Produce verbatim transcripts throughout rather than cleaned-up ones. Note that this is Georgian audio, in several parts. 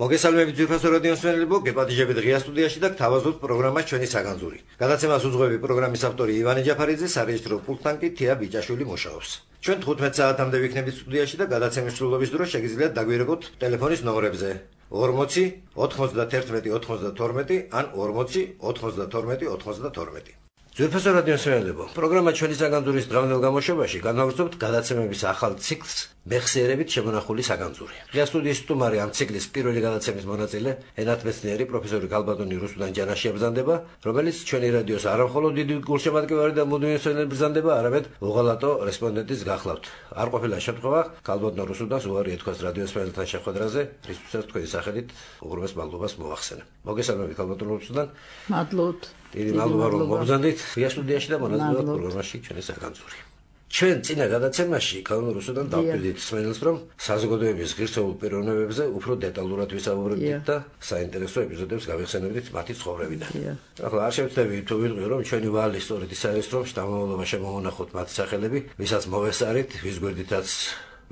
მოგესალმებით ძვირფასო რადიოს მსმენელებო, გეპატიჟებით ღია სტუდიაში და გთავაზობთ პროგრამას ჩვენი საგანძური. გადაცემას უძღვები პროგრამის ავტორი ივანე ჯაფარიძე, სარეჟისრო პულტთან კი თია ბიჭაშვილი მუშაობს. ჩვენ თხუთმეტ საათამდე ვიქნებით სტუდიაში და გადაცემის სრულობის დროს შეგიძლიათ დაგვირეკოთ ტელეფონის ნომრებზე ორმოცი ოთხმოცდათერთმეტი ოცდათორმეტი ან ორმოცი ოთხმოცდათორმეტი ოცდათორმეტი. ძვირფასო რადიოს მსმენელებო, პროგრამა ჩვენი საგანძურის დღევანდელ გამოშვებაში განვაგრძობთ გადაცემების ახალ ციკლს მეხსიერებით შემონახული საგანძური. ღია სტუდიის სტუმარი ამ ციკლის პირველი გადაცემის მონაწილე, ენათმეცნიერი პროფესორი გალბატონი რუსუდან ჯანაში აბრძანდება, რომელიც ჩვენი რადიოს არა მხოლოდ დიდი გულშემატკივარი და მუდმივი მსმენელი ბრძანდება, არამედ უღალატო რესპონდენტიც გახლავთ. არ ყოფილა შემთხვევა, გალბატონ რუსუდანს უარი ეთქვას რადიოს მსმენელთან შეხვედრაზე, რისთვისაც თქვენი სახელით უღრმეს მადლობას მოვახსენებ. მოგესალმებით გალბატონ რუსუდან. მადლობთ. დიდი მადლობა რომ მობრძანდით ღია სტუდიაში და მონაწილეობთ პროგრამაში ჩვენი საგანძური. ჩვენ წინა გადაცემაში გალბატონ რუსუდან დავკვირდით მსმენელს, რომ საზოგადოების ღირსეულ პიროვნებებზე უფრო დეტალურად ვისაუბრებდით და საინტერესო ეპიზოდებს გავიხსენებდით მათი ცხოვრებიდან. ახლა არ შევცდები თუ ვიტყვი, რომ ჩვენი ვალი სწორედ ის არის, რომ შთამომავლობა შემოვანახოთ მათი სახელები, ვისაც მოვესწარით, ვის გვერდითაც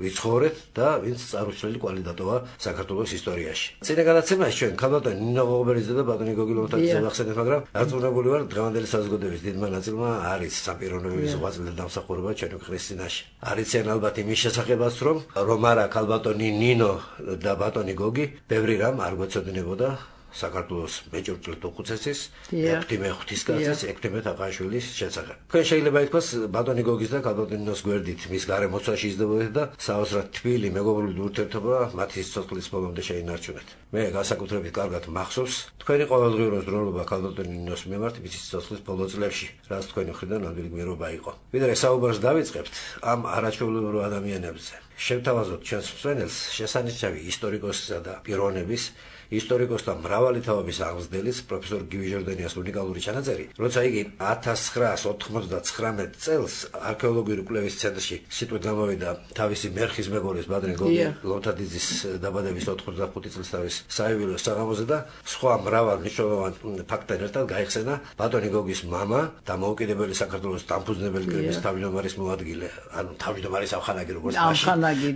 ვიცხოვრეთ და ვინც წარუჩლელი კვალი დატოვა საქართველოს ისტორიაში. წინა გადაცემაში ჩვენ ქალბატონ ნინო ღობერიძე და ბატონი გოგი ლომთაძე ვახსენეთ, მაგრამ დარწმუნებული ვარ, დღევანდელი საზოგადოების დიდმა ნაწილმა არის სამპიროვნების უღვაწლი და დამსახურება ჩვენი ქვეყნის წინაშე. არიციან ალბათ იმის შესახებაც, რომ რომ არა ქალბატონი ნინო და ბატონი გოგი ბევრი რამ არ გვეცოდინებოდა საქართველოს მეჭურჭლეთ უხუცესის, ექვთიმე ღვთისკაცის, ექვთიმე თაყაშვილის შესახებ. თქვენ შეიძლება ითქვას, ბატონი გოგის და ქალბატონ ნინოს გვერდით მის გარემოცვაში იზრდებოდეთ და საოცრად თბილი მეგობრული ურთიერთობა მათი სიცოცხლის ბოლომდე შეინარჩუნეთ. მე განსაკუთრებით კარგად მახსოვს თქვენი ყოველდღიური ზრუნვა ქალბატონ ნინოს მიმართ მის სიცოცხლის ბოლო წლებში, რაც თქვენი მხრიდან ნამდვილი გმირობა იყო. ვიდრე საუბარს დავიწყებთ ამ არაჩვეულებრივ ადამიანებზე, შევთავაზოთ ჩვენს მსმენელს შესანიშნავი ისტორიკოსისა და პიროვნების ისტორიკოსთა მრავალი თაობის აღმზრდელის პროფესორ გივი ჟორდანიას უნიკალური ჩანაწერი, როცა იგი ათას ცხრაას ოცდათხმეტ წელს არქეოლოგიური კვლევის ცენტრში სიტყვით გამოვიდა თავისი მერხის მეგობრის ბატონი გოგი ლომთაძის დაბადების ოთხმოცდახუთი წლისთავის საიუბილეო საღამოზე და სხვა მრავალ მნიშვნელოვან ფაქტთან ერთად გაიხსენა ბატონი გოგის მამა და მოუკიდებელი საქართველოს დამფუძნებელი კრების თავმჯდომარის მოადგილე, ანუ თავმჯდომარის ამხანაგი, როგორც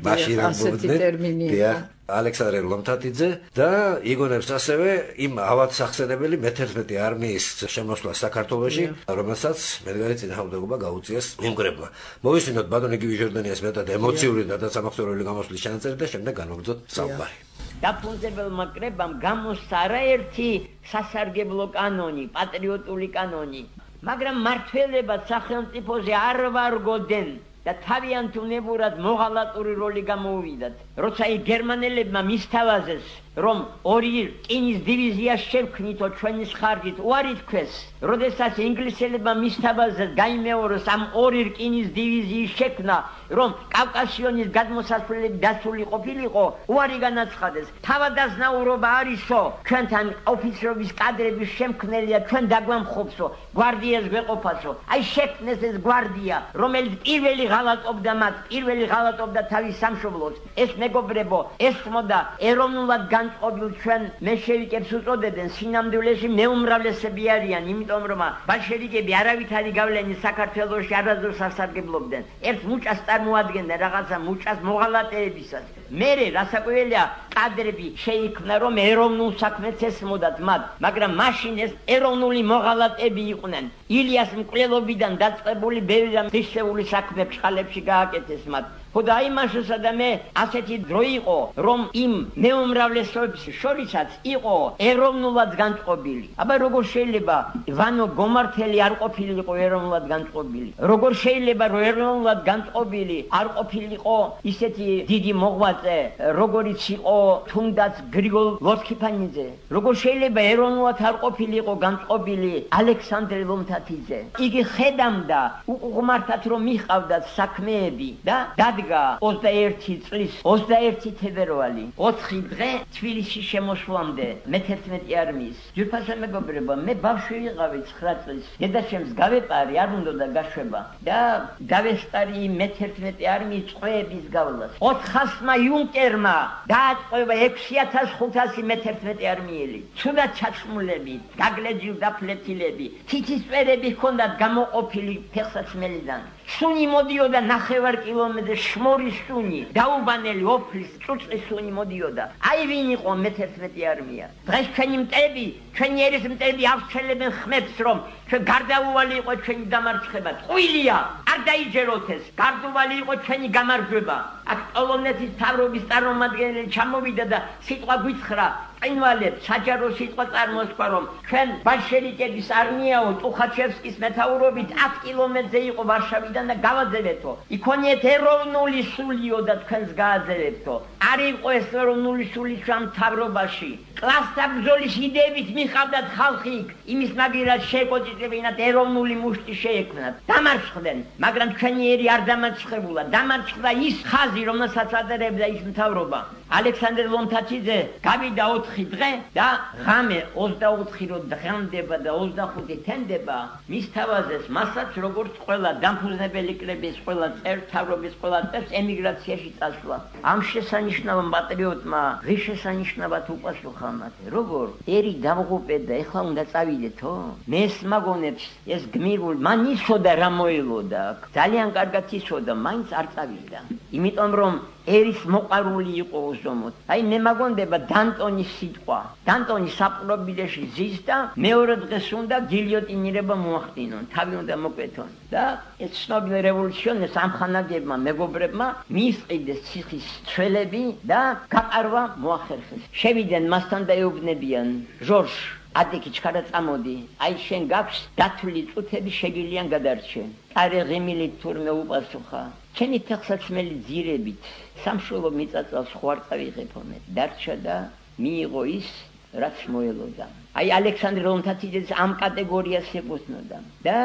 მაშინ ასეთი ტერმინია ალექსანდრე ლომთათიძე და იგონებს ასევე იმ ავად სახსენებელი მეთერთმეტე არმიის შემოსვლა საქართველოში, რომელსაც მედგარი წინააღმდეგობა გაუწიეს იმგრებმა. მოვისმინოთ ბატონი გივი ჟორდანიას მეტად ემოციური და დაცამახსოვრებელი გამოსვლის ჩანაწერი და შემდეგ განვაგრძოთ საუბარი. დაფუძნებელმა კრებამ გამოსცა არაერთი სასარგებლო კანონი, პატრიოტული კანონი, მაგრამ მმართველებად სახელმწიფოზე არ ვარგოდნენ და თავიანთ უნებურად მოღალატური როლი გამოუვიდათ. როცა იქ გერმანელებმა მისთავაზეს, რომ ორი რკინის დივიზია შევქმნითო ჩვენი ხარჯით, უარი თქვეს. როდესაც ინგლისელებმა მისთავაზეს გაიმეოროს ამ ორი რკინის დივიზიის შექმნა, რომ კავკასიონის გადმოსასვლელები დაცული ყოფილიყო, უარი განაცხადეს. თავადაზნაურობა არისო, ჩვენთან ოფიცრობის კადრების შემქმნელია, ჩვენ დაგვამხობსო, გვარდიას გვეყოფასო. აი შექმნეს ეს გვარდია, რომელიც პირველი ღალატობდა მათ, პირველი ღალატობდა თავის სამშობლოს. ეს მეგობრებო, ესმოდა ეროვნულად განწყობილ ჩვენ მეშევიკებს უწოდებენ, სინამდვილეში მეუმრავლესები არიან, იმიტომ რომ ბოლშევიკები არავითარი გავლენის საქართველოში არასდროს არ სარგებლობდნენ. ერთ მუჭას წარმოადგენდნენ რაღაცა მუჭას მოღალატეებისას. მერე რასაკვირველია, კადრები შეიქმნა, რომ ეროვნულ საქმეც ესმოდათ მათ, მაგრამ მაშინ ეს ეროვნული მოღალატეები იყვნენ. ილიას მკვლელობიდან დაწყებული ბევრი მნიშვნელოვანი საქმე ფშხალებში გააკეთეს მათ. ხოდა იმაშოსა და მე ასეთი დრო იყო, რომ იმ მეუმრავლესობის შორისაც იყო ეროვნულად განწყობილი. აბა როგორ შეიძლება ვანო გომართელი არ ყოფილიყო ეროვნულად განწყობილი? როგორ შეიძლება რომ ეროვნულად განწყობილი არ ყოფილიყო ისეთი დიდი მოღვაწე, როგორიც იყო თუნდაც გრიგოლ ლოსქიფანიძე? როგორ შეიძლება ეროვნულად არ ყოფილიყო განწყობილი ალექსანდრე ლომთათიძე? იგი ხედამდა უყურმართად რომ მიჰყავდათ საქმეები და ოცდაერთი წლის ოცდაერთი თებერვალი ოთხი დღე თბილისში შემოსვლამდე მეთერთმეტე არმიის. ძვირფასო მეგობრებო, მე ბავშვი ვიყავი ცხრა წლის. დედაშემს გავეპარი, არ უნდა გაშვება და დავესწარი მეთერთმეტე არმიის წყვეების გავლას. ოთხასმა იუნკერმა დააწყვეტა ექვსი ათას ხუთასი მეთერთმეტე არმიელი. ცუდად ჩაცმულები, გაგლეჯილ დაფლეთილები, თითის წვერები ჰქონდათ გამოყოფილი ფეხსაცმელიდან. სუნი მოდიოდა ნახევარ კილომეტრ შმორის სუნი, დაუბანელი ოფლის წუწის სუნი მოდიოდა. აი ვინ იყო მეთერთმეტე არმია. დღეს ჩვენი მტები, ჩვენი ერისმტები ავსჩელებენ ხმებს, რომ ჩვენ გარდაუვალი იყო ჩვენი დამარცხება. ტყუილია, არ დაიჯეროთ ეს. გარდაუვალი იყო ჩვენი გამარჯვება. აქ პოლონეთის მთავრობის წარმომადგენელი ჩამოვიდა და სიტყვა გვიცხრა. წინვალებ საჯარო სიტყვა წარმოსქვა, რომ ჩვენ ბოლშევიკების არმიაო ტუხაჩევსკის მეთაურობით ათ კილომეტრზე იყო ვარშავიდან და გავაძელებთო. იქონიეთ ეროვნული სულიო და თქვენს გააძელებთო. არ იყო ეს ეროვნული სული ჩვენ მთავრობაში. კლასთა ბრძოლის იდეებით მიხავდათ ხალხი იქ, იმის მაგერად შეეკოჭიჭებინათ ეროვნული მუშტი შეექმნათ. დამარცხდნენ, მაგრამ ჩვენი ერი არ დამარცხებულა. დამარცხდა ის ხაზი, რომელსაც ატარებდა ის მთავრობა. ალექსანდრე ლომთათიძე გავიდა ოთხი დღე და ღამე ოცდაოთხი რო დღემდება და ოცდახუთი თენდება, მის თავაზეს მასაც როგორც ყველა დამფუძნებელი კრების ყველა წევრ, მთავრობის ყველა წევრს ემიგრაციაში წასვლა. ამ შესანიშნავ პატრიოტმა რის შესანიშნავად უპასუხა მათე, როგორ ერი დამღუპე და ეხლა უნდა წავიდეთო? მეს მაგონებს ეს გმირულ მან იცოდა რა მოელოდა აქ. ძალიან კარგად იცოდა, მაინც არ წავიდა. იმიტომ რომ ერის მოყარული იყო უზომოდ. აი მე მაგონდება დანტონის სიტყვა. დანტონი საპყრობილეში ზის და მეორე დღეს უნდა გილიოტინირება მოახდინონ, თავი უნდა მოკვეთონ. და ეს ცნობილი რევოლუციონერს ამხანაგებმა მეგობრებმა მიისყიდეს ციხის ცველები და გაყარვა მოახერხეს. შევიდნენ მასთან და ეუბნებიან, ჟორჟ ადიკი ჩქარა წამოდი, აი შენ გაქვს დათვლილი წუთები შეგილიან გადარჩენ. არე ღიმილით თურმე უპასუხა, ჩემი თახსაცმელი ძირებით სამშობლო მიწაწავს ხო არ წავიღებო მე. დარჩა და მიიღო ის, რაც მოელოდა. აი ალექსანდრე ლომთათიძეს ამ კატეგორიას ეკუთვნოდა და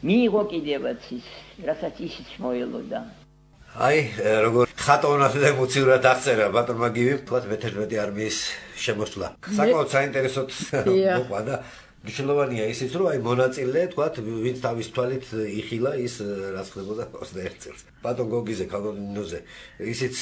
მიიღო კიდევაც ის, რასაც ისიც მოელოდა. აი როგორ ხატოვნად და ემოციურად აღწერა ბატონმა გივიმ თქვათ მეთერთმეტე არმიის შემოსვლა. საკმაოდ საინტერესოდ მოყვა და მნიშვნელოვანია ისიც, რომ აი მონაწილე თქვათ ვინც თავის თვალით იხილა ის რაც ხდებოდა ოცდაერთ წელს. ბატონ გოგიზე, კალონინოზე ისიც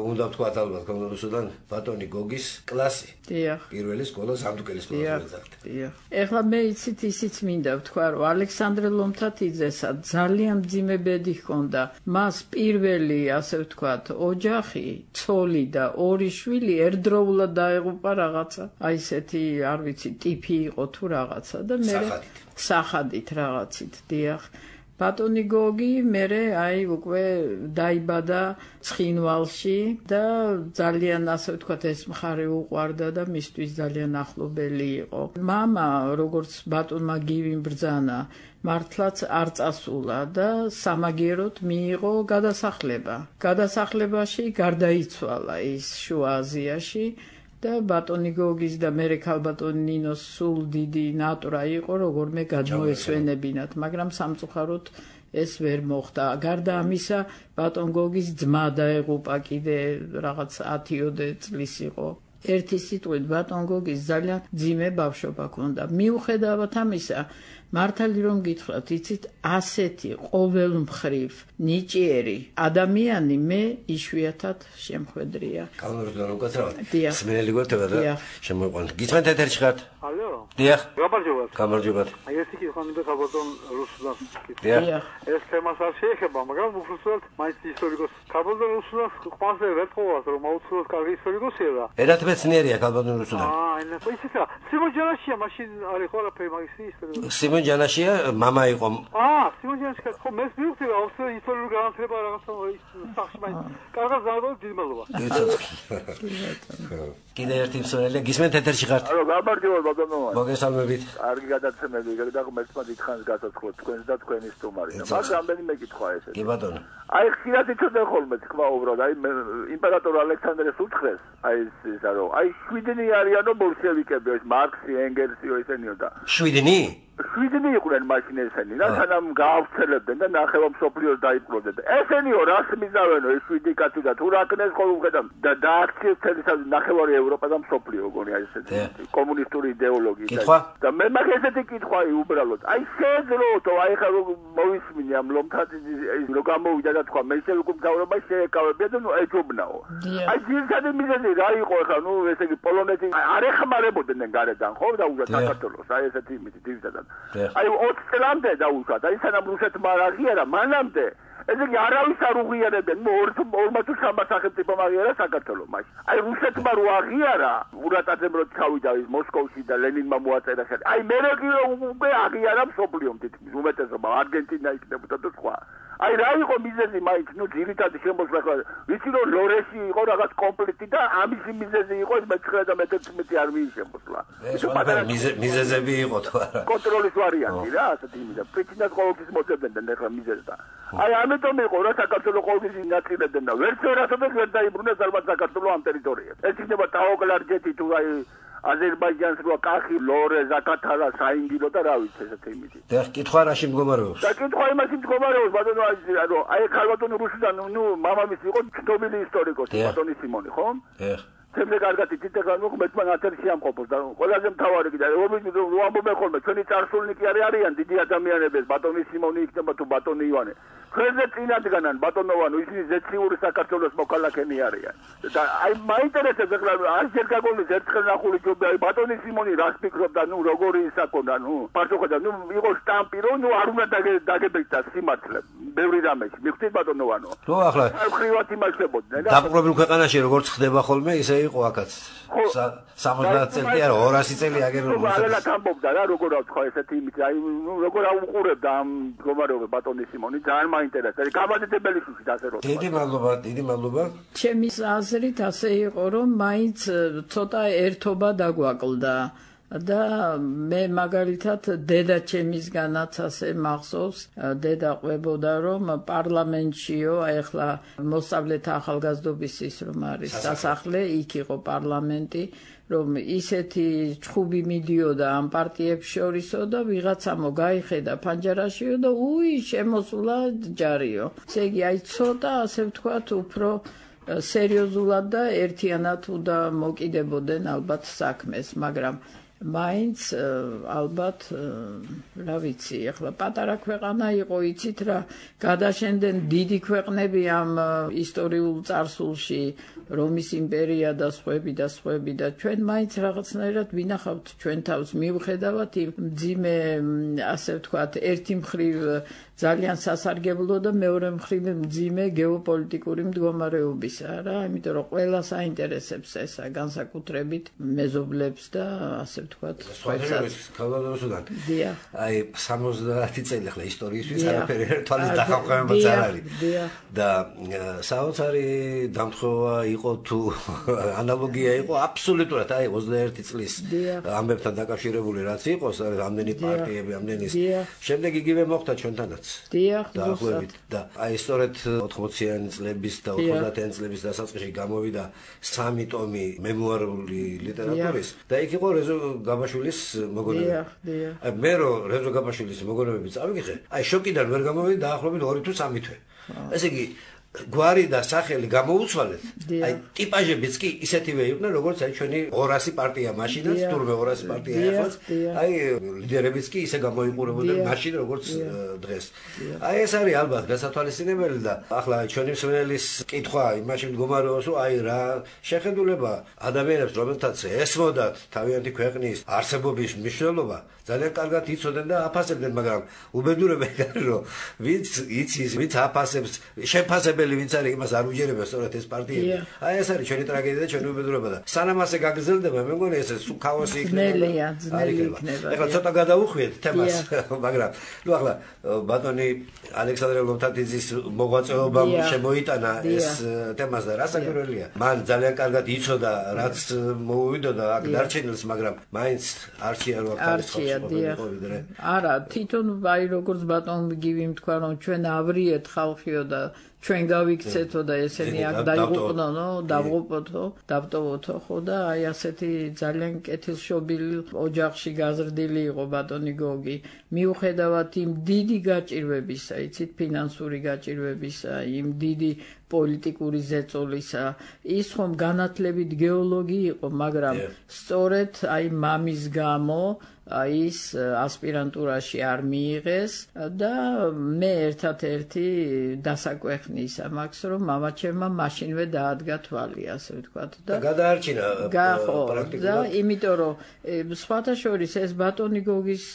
უნდა თქვათ ალბათ კალონინოსთან ბატონი გოგის კლასი. დიახ. პირველი სკოლა სამთუკელი სკოლა ზარდა. დიახ. ეხლა მე იცით ისიც მინდა ვთქვა, რომ ალექსანდრე ლომთათიძესა ძალიან მძიმე ბედი ჰქონდა. მას პირველი, ასე ვთქვათ, ოჯახი, ცოლი და ორი შვილი ერთდროულად დაეღუპა რაღაცა. აი ესეთი, არ ვიცი, ტიპი იყო თუ რაღაცა და მე სახადით რაღაცით, დიახ. ბატონი გოგი მერე აი უკვე დაიბადა ცხინვალში და ძალიან ასე ვთქვათ ეს მხარე უყვარდა და მისთვის ძალიან ახლობელი იყო. მამა როგორც ბატონმა გივიმ ბრძანა მართლაც არ წასულა და სამაგიეროდ მიიღო გადასახლება. გადასახლებაში გარდაიცვალა ის შუა აზიაში. და ბატონი გოგის და მერე ქალბატონი ნინოს სულ დიდი ნატრა იყო, როგორმე გადმოესვენებინათ, მაგრამ სამწუხაროდ ეს ვერ მოხდა. გარდა ამისა, ბატონ გოგის ძმა დაეღუპა კიდე რაღაც ათიოდე წლის იყო. ერთი სიტყვით ბატონ გოგის ძალიან ძიმე ბავშვობა ჰქონდა. მიუხედავად ამისა, მართალი რომ გითხრათ, იცით, ასეთი ყოველმხრივ ნიჭიერი ადამიანი მე იშვიათად შემხვედრია. კალონინოსთან უკაცრავად. სმენელი გვეთება და შემოიყვანეთ. გიწმენთ ეთერში ხართ? ალო. დიახ. გამარჯობათ. გამარჯობათ. აი ეს იგი ხომ მინდა საბატონ რუსუდან. დიახ. ეს თემას არ შეეხება, მაგრამ უბრალოდ მაინც ისტორიკოს. საბატონ რუსუდან ყველაზე ვერტყოვას რომ აუცილებლად კარგი ისტორიკოსია და. ერათმეცნიერია კალბატონ რუსუდან. აა, ენა, ისეა. სიმონ ჯანაშია მაშინ არის ხო არაფერი მაგის ისტორიკოსი. სიმონ ჯანაშია მამა იყო. აა, სიმონ ჯანაშია ხო მე მივხვდი რა, ოსო ისტორიული განათლება რაღაცა ის სახში მაინც. კარგად ზარდო დიდმალობა. კიდე ერთი მსმენელი გისმენთ ეთერში ხართ? ალო, გამარჯობა ბატონო. მოგესალმებით. კარგი გადაცემები, და ღმერთმა დიდხანს გასაცხოთ თქვენს და თქვენი სტუმარი. მაგ რამდენიმე კითხვა ესეთი. კი ბატონო. აი ხშირად იცოდნენ ხოლმე თქვა უბრალოდ, აი იმპერატორ ალექსანდრეს უთხრეს, აი ისა რომ აი შვიდნი არიანო ბოლშევიკები, ეს მარქსი, ენგელსიო ესენიო და. შვიდნი? შვიდნი იყვნენ მაშინ ესენი, და სანამ გაავრცელებდნენ და ნახევარ მსოფლიოს დაიპყროდნენ. ესენიო რას მიზავენო ეს შვიდი კაცი და თუ რა კნეს ხოლმე და დააქციეს თელისად ნახევარი ევროპა და მსოფლიო გონი აი ესეთი კომუნისტური იდეოლოგია. და მე მაგ ესეთი კითხვა აი უბრალოდ. აი შეძლოთ, აი ხა მოვისმინე ამ ლომთათიძის რო გამოვიდა და თქვა მე შევიკუ მთავრობა შეეკავებია და ნუ ეჯობნაო. აი ძირითადი მიზეზი რა იყო ხა ნუ ესე იგი პოლონეთი არ ეხმარებოდნენ გარედან ხო და უნდა საქართველოს აი ესეთი იმით ძირითადად. ერთმანეთთან. აი ოცი წლამდე დაუშვათ, აი სანამ რუსეთმა არ აღიარა, მანამდე ესე იგი არავის არ უღიარებენ, ორმაც სამას სახელმწიფომ აღიარა საქართველო მაშინ. აი რუსეთმა რო აღიარა, ურატაძემ რო ჩავიდა ის მოსკოვში და ლენინმა მოაწერა ხელი. აი მე რო უკვე აღიარა მსოფლიომ თითქმის უმეტესობა, არგენტინა იქნებოდა და სხვა. აი რა იყო მიზეზი მაინც, ნუ ძირითადი შემოსვლა ხო ვიცი რომ ლორეში იყო რაღაც კონფლიქტი და ამის მიზეზი იყო ეს მეცხრე და მეთერთმეტე არმიის შემოსვლა. ეს მიზეზები იყო თუ არა? კონტროლის ვარიანტი რა, ასეთი მიზეზი. პრიჩინას ყოველთვის მოძებნდნენ ახლა მიზეზს. აი ამიტომ იყო რა საქართველოს ყოველთვის ინაცირებდნენ და ვერც ვერასოდეს ვერ დაიბრუნეს ალბათ საქართველოს ამ ტერიტორიაზე. ეს იქნება ტაოკლარჯეთი თუ აი აზერბაიჯანს რო კახი, ლორე, ზაკათალა, საინგილო და რა ვიცი ესეთი იმითი. და კითხვა რაში მდგომარეობს? და კითხვა იმაში მდგომარეობს, ბატონო, ანუ აი ქალბატონი რუსიდან, ნუ მამამისი იყო ცნობილი ისტორიკოსი, ბატონი სიმონი, ხო? ეხ. თემზე კარგად იცით ახლა ნუ მეცმან ათერში ამყოფოს და ყველაზე მთავარი კიდე ომის რო ამბობენ ხოლმე ჩვენი წარსულნიკი არიან დიდი ადამიანები, ბატონი სიმონი იქნება თუ ბატონი ივანე. ხერზე წინადგანან ბატონოვანო ისინი ზეციური საქართველოს მოქალაქენი არიან. და აი მაინტერესებს ახლა არ ჯერ გაგონის ერთხელ ნახული ჯობია აი ბატონი სიმონი რას ფიქრობდა, ნუ როგორი ისაკონა, ნუ პასუხობდა, ნუ იყო სტამპი რომ ნუ არ უნდა დაგებეჭდა სიმართლე. ბევრი რამეში. მიხვდით ბატონოვანო. რო ახლა ხრივად იმაშლებოდნენ და დაპყრობილ ქვეყანაში როგორც ხდება ხოლმე ისე იყო აქაც. სამოცდაათ წელი არა ორასი წელი აგერებული. ალალად ამბობდა რა როგორ აქვს ხო ესეთი იმით აი ნუ როგორ აუყურებდა ამ მდგომარეობა ბატონი სიმონი ძალიან მაინტერესებს. გამადიდებელი შუშით ასე რომ. დიდი მადლობა, დიდი მადლობა. ჩემი აზრით ასე იყო რომ მაინც ცოტა ერთობა დაგვაკლდა. და მე მაგალითად დედა ჩემისგანაც ასე მახსოვს დედა ყვებოდა რომ პარლამენტშიო ახლა მოსწავლეთა ახალგაზრდობის ის რომ არის სასახლე იქ იყო პარლამენტი რომ ისეთი ჩხუბი მიდიოდა ამ პარტიებს შორისო და ვიღაცა მოგაიხედა ფანჯარაშიო და უი შემოსულა ჯარიო. ესე იგი აი ცოტა ასე ვთქვათ უფრო სერიოზულად და ერთიანად უნდა მოკიდებოდნენ ალბათ საქმეს, მაგრამ მაინც ალბათ რა ვიცი, ახლა პატარა ქვეყანა იყო, იცით რა, გადაშენდნენ დიდი ქვეყნები ამ ისტორიულ წარსულში, რომის იმპერია და სხვები და სხვები და ჩვენ მაინც რაღაცნაირად ვინახავთ ჩვენ თავს მიუხედავად იმ მძიმე, ასე ვთქვათ, ერთი მხრივ ძალიან სასარგებლო და მეორე მხრივ მძიმე გეოპოლიტიკური მდგომარეობისა რა, იმიტომ რომ ყველას აინტერესებს ესა განსაკუთრებით მეზობლებს და ასე ვთქვათ, სხვაებსაც ქალბატონოსთან. დიახ. აი სამოცდაათი წელი ახლა ისტორიისთვის არაფერი თვალის დახავებაც არ არის. და საოცარი დამთხოვა იყო თუ ანალოგია იყო აბსოლუტურად აი ოცდაერთი წლის ამბებთან დაკავშირებული რაც იყოს, ამდენი პარტიები, ამდენი შემდეგ იგივე მოხდა ჩვენთანაც. დიახ, ზუსტად. და აი სწორედ ოთხმოციანი წლების და ოცდაათიანი წლების დასაწყისში გამოვიდა სამი ტომი მემუარული ლიტერატურის და იქ იყო რეზო გაბაშვილის მოგონებები. დიახ, დიახ. აი მე რო რეზო გაბაშვილის მოგონებები წავიგე, აი შოკიდან ვერ გამოვიდი დაახლოებით ორი თუ სამი თვე. ესე იგი გვარი და სახელი გამოუცვალეთ. აი ტიპაჟებიც კი ისეთივე იყვნენ, როგორც აი ჩვენი ორასი პარტია მაშინაც, თურმე ორასი პარტია ახლა. აი ლიდერებიც კი ისე გამოიყურებოდნენ მაშინ, როგორც დღეს. აი ეს არის ალბათ გასათვალისწინებელი და ახლა ჩვენი მსმენელის კითხვა იმაში მდგომარეობს, რომ აი რა შეხედულება ადამიანებს, რომელთაც ესმოდათ თავიანთი ქვეყნის არსებობის მნიშვნელობა, ძალიან კარგად იცოდნენ და აფასებდნენ, მაგრამ უბედურებენ რომ ვინც იცის, ვინც აფასებს, შეფასებელი ვინც არის, იმას არ უჯერებია სწორედ ეს პარტიები. აი ეს არის ჩვენი ტრაგედია და ჩვენი უბედურება და სანამ ასე გაგრძელდება, მე მგონი ეს ქაოსი იქნება. იქნება. ეხლა ცოტა გადაუხვიეთ თემას, მაგრამ ნუ ახლა ბატონი ალექსანდრე ლომთათიძის მოღვაწეობამ შემოიტანა ეს თემას და რასაკვირველია. მან ძალიან კარგად იცოდა, რაც მოუვიდოდა აქ დარჩენილს, მაგრამ მაინც არჩია რო აქ არა, თვითონ აი როგორც ბატონი გივი თქვა რომ ჩვენ ავრიეთ ხალხიო და ჩვენ გავიქცეთო და ესენი აქ დაიღუპნო, დავღუპოთო, დავტოვოთო, ხო და აი ასეთი ძალიან კეთილშობილი ოჯახში გაზრდილი იყო ბატონი გოგი. მიუხედავად იმ დიდი გაჭირვებისა, იცით, ფინანსური გაჭირვებისა, იმ დიდი პოლიტიკური ზეწოლისა, ის ხომ განათლებით გეოლოგი იყო, მაგრამ სწორედ აი მამის გამო ის ასპირანტურაში არ მიიღეს და მე ერთად-ერთი დასაკვეხნის მაქვს რომ მამაჩემმა მაშინვე დაადგა თვალი ასე ვთქვათ და გადაარჩინა პრაქტიკულად და იმიტომ რომ სხვათა შორის ეს ბატონი გოგის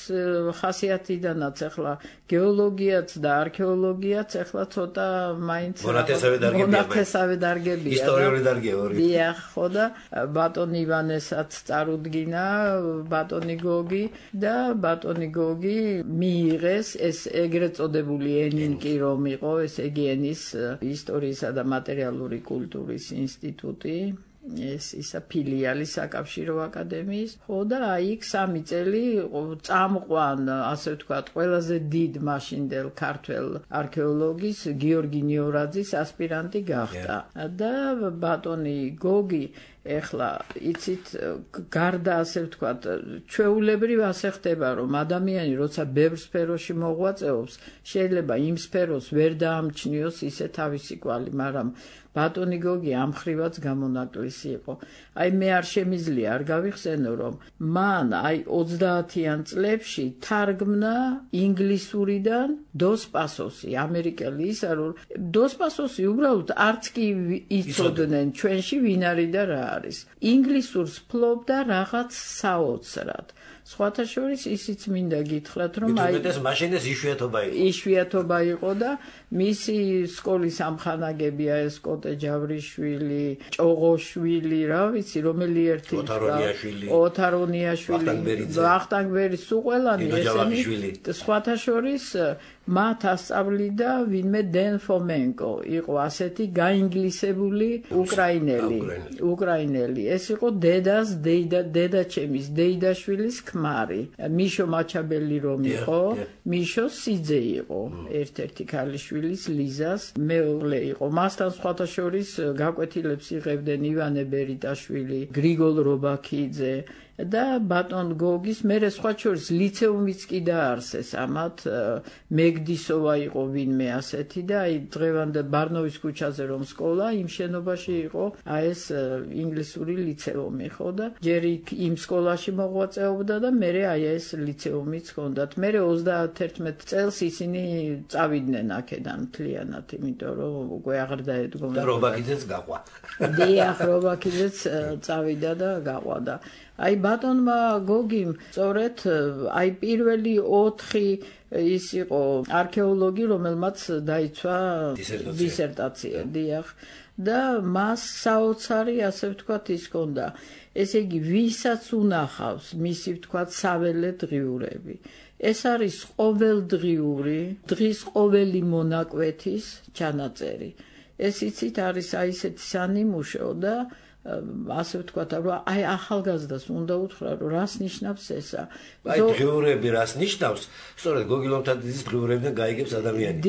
ხასიათიდანაც ახლა გეოლოგიაც და არქეოლოგიაც ახლა ცოტა მაინც მონათესავე დარგებია ისტორიული დარგია ორი დიახ ხო და ბატონი ივანესაც წარუდგინა ბატონი გოგი და ბატონი გოგი მიიღეს ეს ეგრეთ წოდებული ენინკი რომ იყო ესე იგი ენის ისტორიისა და მატერიალური კულტურის ინსტიტუტი ეს ისა ფილიალი საკავშირო აკადემიის ხო და აი სამი წელი წამყვან ასე ვთქვათ ყველაზე დიდ მაშინდელ ქართველ არქეოლოგის გიორგი ნიორაძის ასპირანტი გახდა და ბატონი გოგი ეხლა იცით გარდა ასე ვთქვათ ჩვეულებრივ ასე ხდება რომ ადამიანი როცა ბევრ სფეროში მოღვაწეობს შეიძლება იმ სფეროს ვერ დაამჩნიოს ისე თავისი კვალი მაგრამ ბატონი გოგი ამ ხრივაც გამონაკლისი იყო აი მე არ შემიძლია არ გავიხსენო რომ მან აი ოცდაათიან წლებში თარგმნა ინგლისურიდან დოს პასოსი ამერიკელი ისა რომ დოს პასოსი უბრალოდ არც კი იცოდნენ ჩვენში ვინ არის და რა არის ინგლისურს ფლობდა რაღაც საოცრად სხვათა შორის ისიც მინდა გითხრათ რომ აი ეს მაშინ ეს იშვიათობა იყო იშვიათობა იყო და მისი სკოლის ამხანაგებია ეს კოტე ჯავრიშვილი ჭოღოშვილი რა ვიცი რომელი ერთი ოთარონიაშვილი ოთარონიაშვილი ვახტანგბერის უყველანი ესენი სხვათა შორის მათ ასწავლიდა ვინმე დენ ფომენკო იყო ასეთი გაინგლისებული უკრაინელი უკრაინელი ეს იყო დედას დეიდა დედაჩემის დეიდაშვილის ქმარი მიშო მაჩაბელი რომ იყო მიშო სიძე იყო ერთ-ერთი ქალიშვილის ლიზას მეუღლე იყო მასთან სხვათა შორის გაკვეთილებს იღებდნენ ივანე ბერიტაშვილი გრიგოლ რობაქიძე და ბატონ გოგის მერე სხვა შორის ლიცეუმიც კი დაარსეს ამათ მეგდისოვა იყო ვინმე ასეთი და აი დღევანდელ ბარნოვის ქუჩაზე რომ სკოლა იმ შენობაში იყო აი ეს ინგლისური ლიცეუმი ხო და ჯერ იმ სკოლაში მოღვაწეობდა და მერე აი ეს ლიცეუმიც ჰქონდათ მერე ოცდაათერთმეტ წელს ისინი წავიდნენ აქედან მთლიანად იმიტომ რომ უკვე აღარ დაედგომოდა და რობაქიძეც გაყვა დიახ რობაქიძეც წავიდა და გაყვა და აი ბატონმა გოგიმ სწორედ აი პირველი ოთხი ის იყო არქეოლოგი რომელმაც დაიცვა დისერტაცია დიახ და მას საოცარი ასე ვთქვათ ის ჰქონდა ესე იგი ვისაც უნახავს მისი ვთქვათ საველე დღიურები ეს არის ყოველდღიური დღის ყოველი მონაკვეთის ჩანაწერი ეს იცით არის აი ესეთი სანიმუშო და ასე ვთქვათ რომ აი ახალგაზრდას უნდა უთხრა რომ რას ნიშნავს ესა აი დღიურები რას ნიშნავს სწორედ გოგი ლომთათიძის დღიურებიდან გაიგებს ადამიანი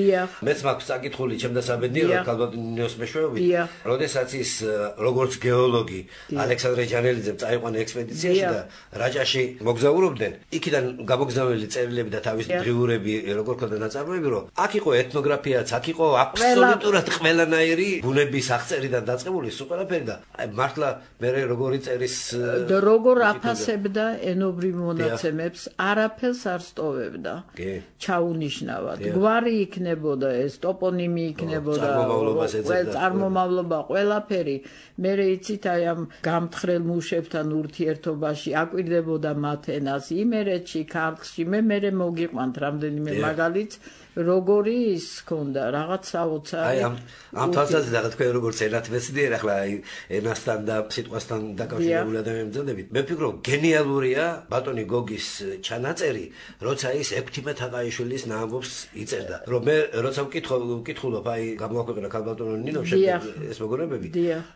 მეც მაქვს საკითხული ჩემდა საბედნიეროდ ქალბატონიოს მეშვეობით როდესაც ის როგორც გეოლოგი ალექსანდრე ჯანელიძემ წაიყვანა ექსპედიციაში და რაჭაში მოგზაურობდნენ იქიდან გამოგზავნილი წერილები და თავის დღიურები როგორ ქონდა ნაწარმოები რომ აქ იყო ეთნოგრაფიაც აქ იყო აბსოლუტურად ყველანაირი ბუნების აღწერიდან დაწყებული სულ ყველაფერი და აი მართლა მე როგორი წერის და როგორ აფასებდა ენობრივ მონაცემებს არაფერს არ სტოვებდა ჩაუნიშნავად გვარი იქნებოდა ეს ტოპონიმი იქნებოდა წარმომავლობა ყველაფერი მე იცით აი ამ გამთხრელ მუშებთან ურთიერთობაში აკვირდებოდა მათ ენას იმერეთში ქართლში მე მე მოგიყვანთ რამდენიმე მაგალითს როგორი ის ქონდა რაღაც საოცარი აი ამ ამ თვალსაზრისით რა თქვენ როგორც ენათ მეცნიერ ახლა აი ენასთან და სიტყვასთან დაკავშირებული ადამიანები მძანდებით მე ვფიქრობ გენიალურია ბატონი გოგის ჩანაწერი როცა ის ექვთიმე თაყაიშვილის ნაამბობს იწერდა რომ მე როცა ვკითხულობ აი გამოაქვეყნა ქალბატონო ნინო ეს მოგონებები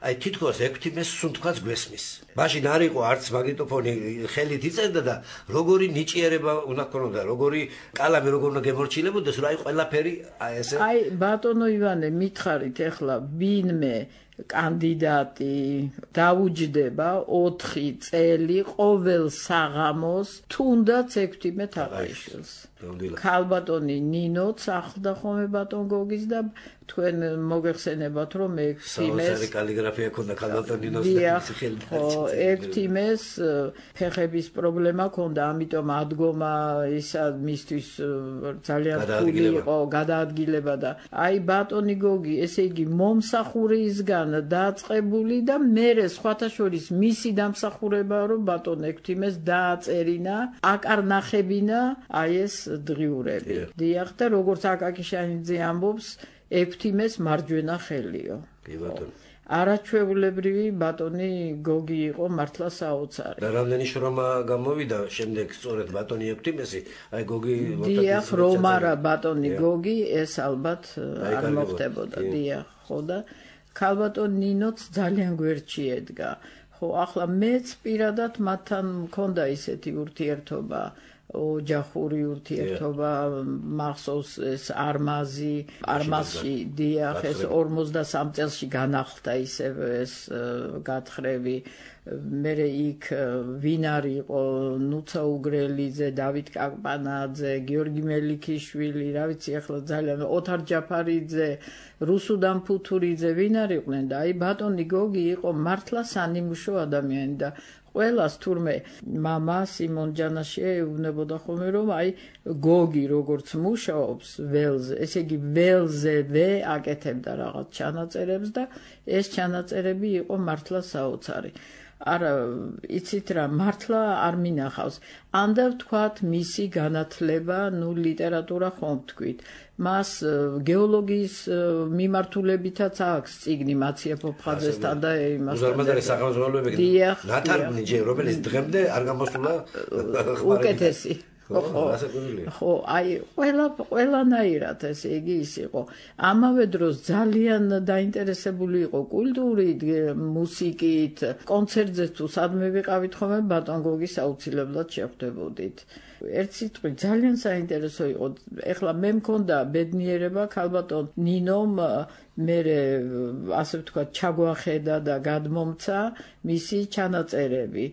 აი თითქოს ექვთიმეს სუნთქვაც გვესმის მაშინ არ იყო არც მაგნიტოფონი ხელით იწერდა და როგორი ნიჭიერება უნდა ქონოდა როგორი კალამი როგორ უნდა გემორჩილებოდეს აი ყველაფერი აი ესე აი ბატონო ივანე მითხარით ეხლა ვინმე კანდიდატი დაუჯდება ოთხი წელი ყოველ საღამოს თუნდაც ექვთიმე თაყაიშვილს ქალბატონი ნინოც ახლდა ხოლმე ბატონ გოგის და თქვენ მოგეხსენებათ რომ მე საოცარი კალიგრაფია ქონდა ქალბატონ ნინოს ეფთიმეს ფეხების პრობლემა ქონდა, ამიტომ ადგომა ისა მისთვის ძალიან რთული იყო გადაადგილება და აი ბატონი გოგი, ესე იგი მომსახურისგან დაწყებული და მერე სხვათა შორის მისი დამსახურებაა რომ ბატონ ეფთიმეს დააწერინა, აკარნახებინა აი ეს დღიურები. დიახ და როგორც აკაკი შანიძე ამბობს, ეფთიმეს მარჯვენა ხელიო. კი ბატონო. არაჩვეულებრივი ბატონი გოგი იყო მართლა საოცარი. და რამდენი შრომა გამოვიდა შემდეგ სწორედ ბატონი ეფთიმესი, აი გოგი დიახ, რომ არა ბატონი გოგი, ეს ალბათ არ მოხდებოდა, დიახ, ხო და ქალბატონ ნინოც ძალიან გვერდში ედგა. ხო, ახლა მეც პირადად მათთან მქონდა ისეთი ურთიერთობა. ოჯახური ურთიერთობა მახსოვს ეს არმაზი არმაზში დიახ ეს ორმოცდასამ წელში განახლდა ისევ ეს გათხრები მერე იქ ვინ არის იყო ნუცა უგრელიძე დავით კაკპანაძე გიორგი მელიქიშვილი რა ვიცი ახლა ძალიან ოთარ ჯაფარიძე რუსუდან ფუთურიძე ვინ არიყვნენ და აი ბატონი გოგი იყო მართლა სანიმუშო ადამიანი და ყველას თურმე მამა სიმონ ჯანაშია ეუბნებოდა ხოლმე რომ აი გოგი როგორც მუშაობს ველზე, ესე იგი ველზევე აკეთებდა რაღაც ჩანაწერებს და ეს ჩანაწერები იყო მართლა საოცარი. არა იცით რა მართლა არ მინახავს. ანდა ვთქვათ მისი განათლება, ნუ ლიტერატურა ხომ ვთქვით. მას გეოლოგიის მიმართულებითაც აქვს წიგნი მაცია ფოფხაძესთან და იმასთან. უზარმაზარი სახელმძღვანელოები ნათარგმნი ჯერ რომელიც დღემდე არ გამოსულა უკეთესი. ხო, აი ყველა ყველანაირად ესე იგი ის იყო. ამავე დროს ძალიან დაინტერესებული იყო კულტურით, მუსიკით, კონცერტზე თუ სადმე ვიყავით ხოლმე ბატონ გოგის აუცილებლად შეხვდებოდით. ერთ სიტყვით ძალიან საინტერესო იყო. ეხლა მე მქონდა ბედნიერება ქალბატონ ნინომ მერე ასე ვთქვათ ჩაგვახედა და გადმომცა მისი ჩანაწერები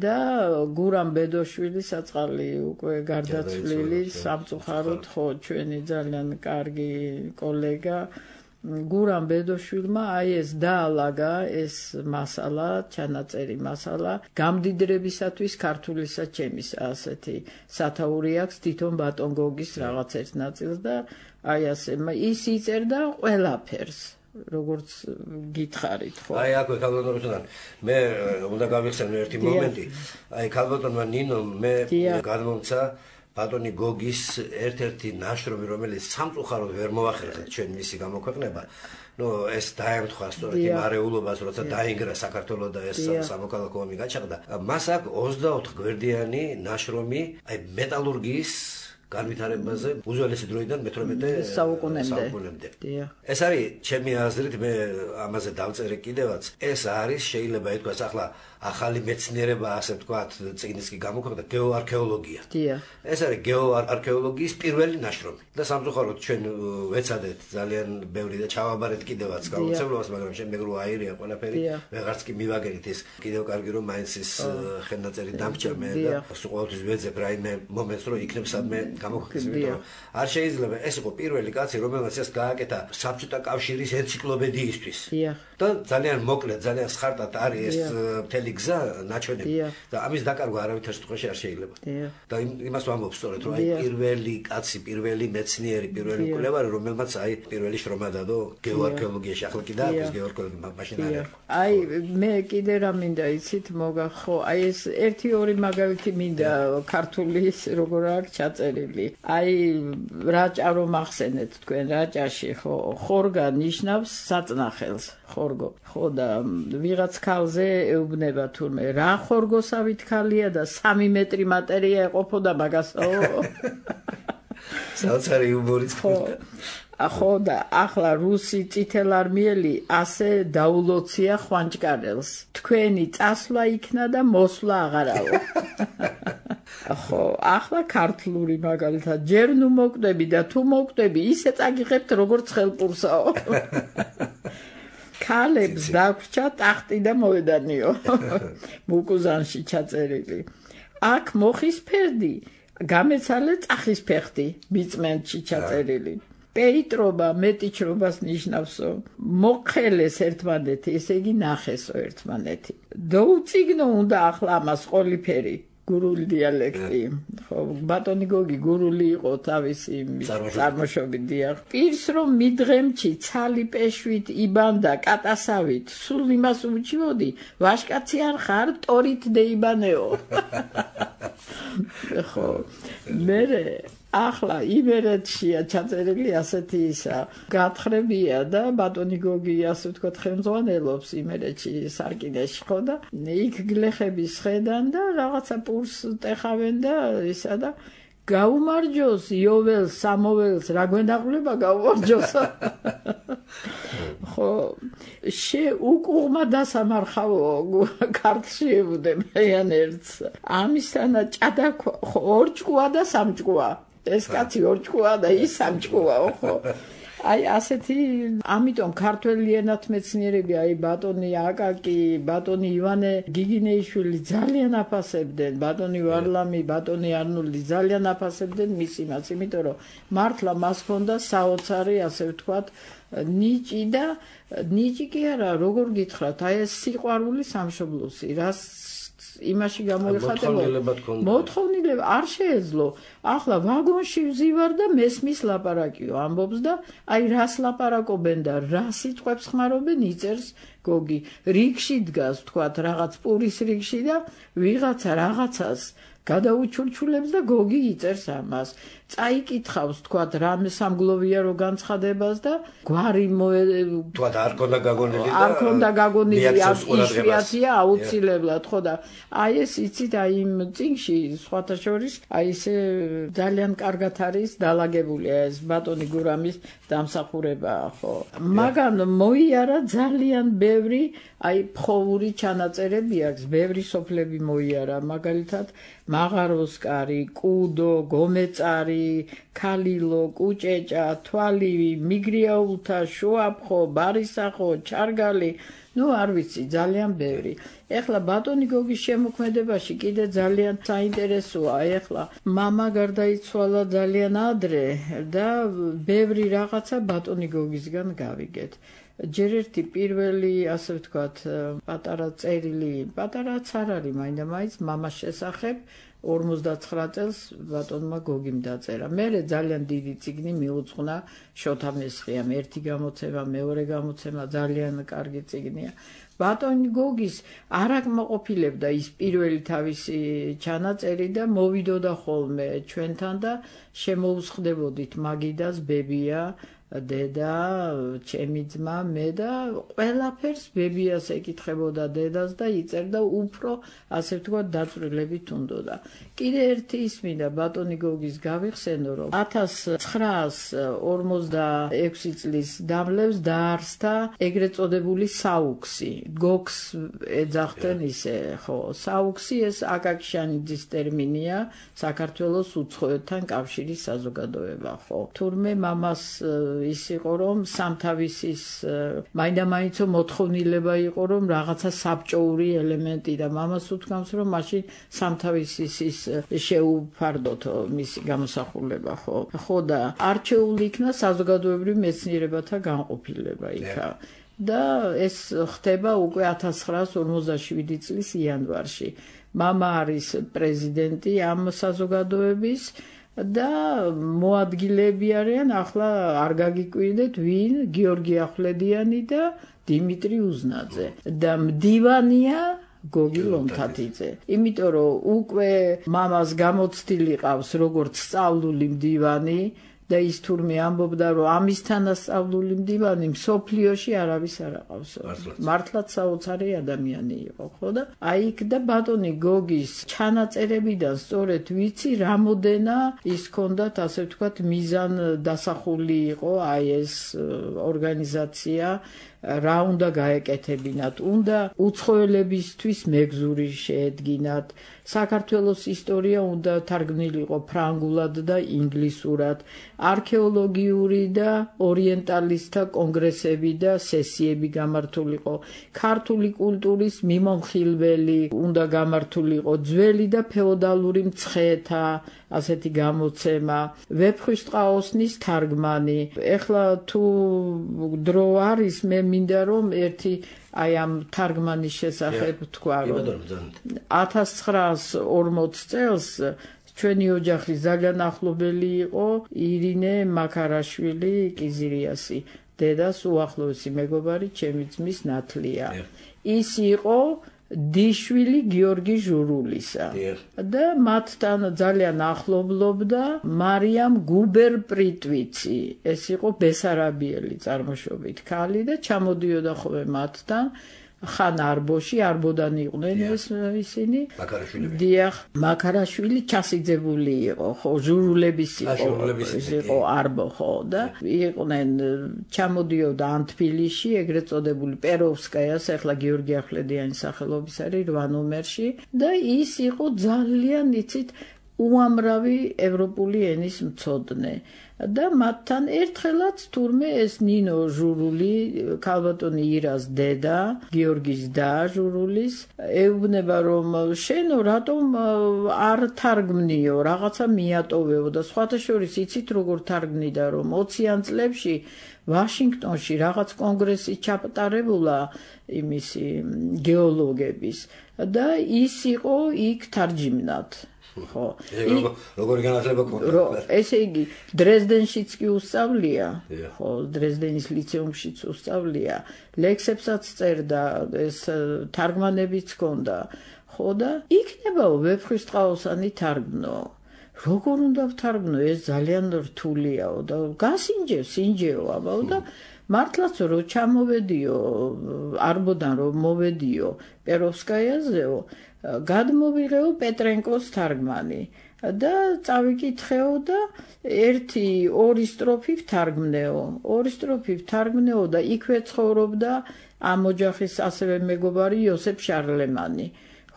და გურამ ბედოშვილი საწყალი უკვე გარდაცვლილი სამწუხაროდ ხო ჩვენი ძალიან კარგი კოლეგა გურამ ბედოშვილმა აი ეს დაალაგა ეს მასალა ჩანაწერი მასალა გამდიდრებისათვის ქართულისა ჩემის ასეთი სათაური აქვს თვითონ ბატონ გოგის რაღაც ერთ ნაწილს და აი ასე ის იწერდა ყველაფერს როგორც გითხარით ხო აი აკვე ქალბატონ რუსუდან მე უნდა გავიხსენო ერთი მომენტი აი ქალბატონმა ნინომ მე გადმომცა ბატონი გოგის ერთ-ერთი ნაშრომი რომელიც სამწუხაროდ ვერ მოახერხეთ ჩვენ მისი გამოქვეყნება ნუ ეს დაემთხვა სწორედ იმ არეულობას როცა დაინგრა საქართველოს და ეს სამოქალაქო ომი გაჩაღდა მას აქვს ოცდაოთხ გვერდიანი ნაშრომი აი მეტალურგიის განვითარებაზე უძველესი დროიდან მეთორმეტე საუკუნემდე. ეს არის ჩემი აზრით მე ამაზე დავწერე კიდევაც ეს არის შეიძლება ითქვას ახლა ახალი მეცნიერება ასე ვთქვათ წიგნის კი გამოქვეყნდა გეოარქეოლოგია. ეს არის გეოარქეოლოგიის პირველი ნაშრომი და სამწუხაროდ ჩვენ ვეცადეთ ძალიან ბევრი და ჩავაბარეთ კიდევაც გაუცემლობას მაგრამ შემდეგ რო აირია ყველაფერი ვეღარც კი მივაგერით ეს კიდევ კარგი რომ მაინც ის ხელნაწერი დამჭა მე და ყოველთვის ვეძებ რაიმე მომენტს რომ იქნებ სადმე გამოქვეყნეს. არ შეიძლება ეს იყო პირველი კაცი რომელმაც ეს გააკეთა საბჭოთა კავშირის ენციკლოპედიისთვის. და ძალიან მოკლედ ძალიან სხარტად არის ეს მთელი გზა ნაჩვენები და ამის დაკარგვა არავითარ შემთხვევაში არ შეიძლება. და იმას ვამბობ სწორედ რომ აი პირველი კაცი, პირველი მეცნიერი, პირველი მკვლევარი რომელმაც აი პირველი შრომა დადო გეოარქეოლოგიაში ახლა კი დააქვს გეოარქეოლოგია მაშინ არის. აი მე კიდე რა მინდა იცით მოგახო აი ეს ერთი ორი მაგალითი მინდა ქართული როგორ აქვს ჩაწერილი. აი რაჭა რომ ახსენეთ თქვენ რაჭაში ხო ხორგა ნიშნავს საწნახელს ხორგო ხო და ვიღაც ქალზე ეუბნება თურმე რა ხორგოსავით ქალია და სამი მეტრი მატერია ეყოფოდა მაგასო საოცარი იუმორიც ხო ახო და ახლა რუსი წითელარმიელი ასე დაულოცია ხვანჭკარელს თქვენი წასვლა იქნა და მოსვლა აღარავო ხო ახლა ქართლური მაგალითად ჯერ ნუ მოკვდები და თუ მოკვდები ისე წაგიღებთ როგორც ხელპურსაო ქალებს დაგვრჩა ტახტი და მოედანიო მუკუზანში ჩაწერილი აქ მოხის ფერდი გამეცალე წახის ფეხტი მიწმენდში ჩაწერილი. პეიტრობა მეტიჩრობას ნიშნავსო. მოხელეს ერთმანეთი, ესე იგი ნახესო ერთმანეთი. დაუწიგნო უნდა ახლა ამას ყოლიფერი. გურული დიალექტი. ხო, ბატონი გოგი გურული იყო თავისი წარმოშობით დიახ. პირს რომ მიდღემჩი ცალი პეშვით იბანდა კატასავით, სულ იმას უჩივოდი, ვაშკაცი არ ხარ, ტორით δεიბანეო. ხო, მერე ახლა იმერეთშია ჩაწერილი ასეთი ისა გათხრებია და ბატონი გოგი ასე ვთქვათ ხელმძღვანელობს იმერეთში სარკინეში ხო და იქ გლეხების ხედან და რაღაცა პურს ტეხავენ და ისა და გაუმარჯოს იოველს სამოველს რა გვენაღვლება გაუმარჯოს ხო შე უკუღმა დასამარხავო ქართლში ებუდებიან ერთს ამისთანა ჭადა ორჭკუა და სამჭკუა ეს კაცი ორჭკუა და ის სამჭკუა ხო აი ასეთი ამიტომ ქართველი ენათ მეცნიერები აი ბატონი აკაკი ბატონი ივანე გიგინეიშვილი ძალიან აფასებდნენ ბატონი ვარლამი ბატონი არნოლდი ძალიან აფასებდნენ მის იმას იმიტომ რომ მართლა მას ჰქონდა საოცარი ასე ვთქვათ ნიჭი და ნიჭი კი არა როგორ გითხრათ აი ეს სიყვარული სამშობლოსი რას იმაში გამოიხატებოდა მოთხოვნილება არ შეეძლო ახლა ვაგონში ვზივარ და მესმის ლაპარაკიო ამბობს და აი რას ლაპარაკობენ და რა სიტყვებს ხმარობენ იწერს გოგი რიგში დგას თქვათ რაღაც პურის რიგში და ვიღაცა რაღაცას გადაუჩურჩულებს და გოგი იწერს ამას წაიკითხავს თქვათ რამე სამგლოვია რო განცხადებას და გვარი თქვათ არ ქონდა გაგონილი და არ ქონდა გაგონილი იშვიათია აუცილებლად ხო და აი ეს იცით აი იმ წინში სხვათა შორის აი ესე ძალიან კარგად არის დალაგებული ეს ბატონი გურამის დამსახურება ხო მაგან მოიარა ძალიან ბევრი აი ფხოვური ჩანაწერები აქვს ბევრი სოფლები მოიარა მაგალითად მაღაროსკარი კუდო გომეწარი ქალილო კუჭეჭა თვალივი მიგრიაულთა შუაფხო ბარისახო ჩარგალი ნუ არ ვიცი ძალიან ბევრი ეხლა ბატონი გოგის შემოქმედებაში კიდე ძალიან საინტერესოა ეხლა მამა გარდაიცვალა ძალიან ადრე და ბევრი რაღაცა ბატონი გოგისგან გავიგეთ ჯერ ერთი პირველი ასე ვთქვათ პატარა წერილი პატარაც არ არის მაინდა-მაინც მამას შესახებ ორმოცდაცხრა წელს ბატონმა გოგიმ დაწერა. მერე ძალიან დიდი წიგნი მიუძღვნა შოთა მესხიამ. ერთი გამოცემა, მეორე გამოცემა ძალიან კარგი წიგნია. ბატონი გოგის არ აკმაყოფილებდა ის პირველი თავისი ჩანაწერი და მოვიდოდა ხოლმე ჩვენთან და შემოუსხდებოდით მაგიდას ბებია დედა, ჩემი ძმა, მე და ყველაფერს ბებიას ეკითხებოდა დედას და იწერდა უფრო ასე ვთქვათ დაწვრილებით უნდოდა. კიდე ერთი ისმინდა ბატონი გოგის გავიხსენო რომ ათას ცხრაას ორმოცდაექვსი წლის დამლევს დაარსდა ეგრეთ წოდებული საუქსი. გოგს ეძახდნენ ისე, ხო, საუქსი ეს აკაკშანიძის ტერმინია, საქართველოს უცხოეთთან კავშირის საზოგადოება, ხო. თურმე მამას ის იყო რომ სამთავისის მაინდა-მაინცო მოთხოვნილება იყო რომ რაღაცა საბჭოური ელემენტი და მამას უთქვამს რომ მაშინ სამთავისის ის შეუფარდოთო მისი გამოსახულება ხო ხო და არჩეული იქნა საზოგადოებრივ მეცნიერებათა განყოფილება იქა და ეს ხდება უკვე ათას ცხრაას ორმოცდაშვიდი წლის იანვარში მამა არის პრეზიდენტი ამ საზოგადოების და მოადგილეები არიან ახლა არ გაგიკვირდეთ ვინ გიორგი ახვლედიანი და დიმიტრი უზნაძე და მდივანია გოგი ლომთათიძე იმიტომ რომ უკვე მამას გამოცდილი ყავს როგორც სწავლული მდივანი და ის თურმე ამბობდა რომ ამისთანა სწავლული მდივანი მსოფლიოში არავის არ აყავსო მართლაც საოცარი ადამიანი იყო ხო და აი იქ და ბატონი გოგის ჩანაწერებიდან სწორედ ვიცი რამოდენა ის ჰქონდათ ასე ვთქვათ მიზან დასახული იყო აი ეს ორგანიზაცია რა უნდა გაეკეთებინათ უნდა უცხოელებისთვის მეგზური შეედგინათ საქართველოს ისტორია უნდა თარგმნილიყო ფრანგულად და ინგლისურად არქეოლოგიური და ორიენტალისტთა კონგრესები და სესიები გამართულიყო ქართული კულტურის მიმომხილველი უნდა გამართულიყო ძველი და ფეოდალური მცხეთა ასეთი გამოცემა, ვეფხვის ტყაოსნის თარგმანი. ეხლა თუ დრო არის, მე მინდა რომ ერთი აი ამ თარგმანის შესახებ თქვა, რომ ათას ცხრაასი ორმოც წელს ჩვენი ოჯახის ძალიან ახლობელი იყო ირინე მაქარაშვილი კიზირიასი, დედას უახლოესი მეგობარი ჩემი ძმის ნათლია. ის იყო დიშვილი გიორგი ჟურულისა და მათთან ძალიან ახლობლობდა მარიამ გუბერ-პრიტვიცი. ეს იყო ბესარაბიელი წარმოშობით ქალი და ჩამოდიოდა ხოლმე მათთან ხან არბოში, არბოდან იყვნენ ეს ისინი. დიახ, მაქარაშვილი ჩასიძებული იყო, ხო, ჟურულების იყო, იყო არბო, ხო, და იყვნენ ჩამოდიოდა ან თბილისში, ეგრეთ წოდებული პეროვსკაიას, ახლა გიორგი ახვლედიანის სახელობის არის რვა ნომერში და ის იყო ძალიან იცით უამრავი ევროპული ენის მცოდნე. და მათთან ერთხელაც თურმე ეს ნინო ჟურული, ქალბატონი ირას დედა, გიორგის და ჟურულის, ეუბნება რომ შენო რატომ არ თარგმნიო, რაღაცა მიატოვეო და სხვათა შორის იცით როგორ თარგმნიდა, რომ ოციან წლებში ვაშინგტონში რაღაც კონგრესი ჩატარებულა იმისი გეოლოგების და ის იყო იქ თარჯიმნად. ხო, როგორი განათლება ჰქონდა? ესე იგი, დრეზდენშიც კი უსწავლია, ხო, დრეზდენის ლიცეუმშიც უსწავლია, ლექსებსაც წერდა, ეს თარგმანებიც ჰქონდა, ხო და იქნებაო ვეფხვის ტყაოსანი თარგმნო. როგორ უნდა ვთარგმნო, ეს ძალიან რთულიაო და გასინჯევ, სინჯეო აბაო და მართლაც რომ ჩამოვედიო არბოდან რომ მოვედიო პეროვსკაიაზეო, გადმოვიღეო პეტრენკოს თარგმანი და წავიკითხეო და ერთი ორი სტროფი ვთარგმნეო, ორი სტროფი ვთარგმნეო და იქვე ცხოვრობდა ამ ოჯახის ასევე მეგობარი იოსებ შარლემანი.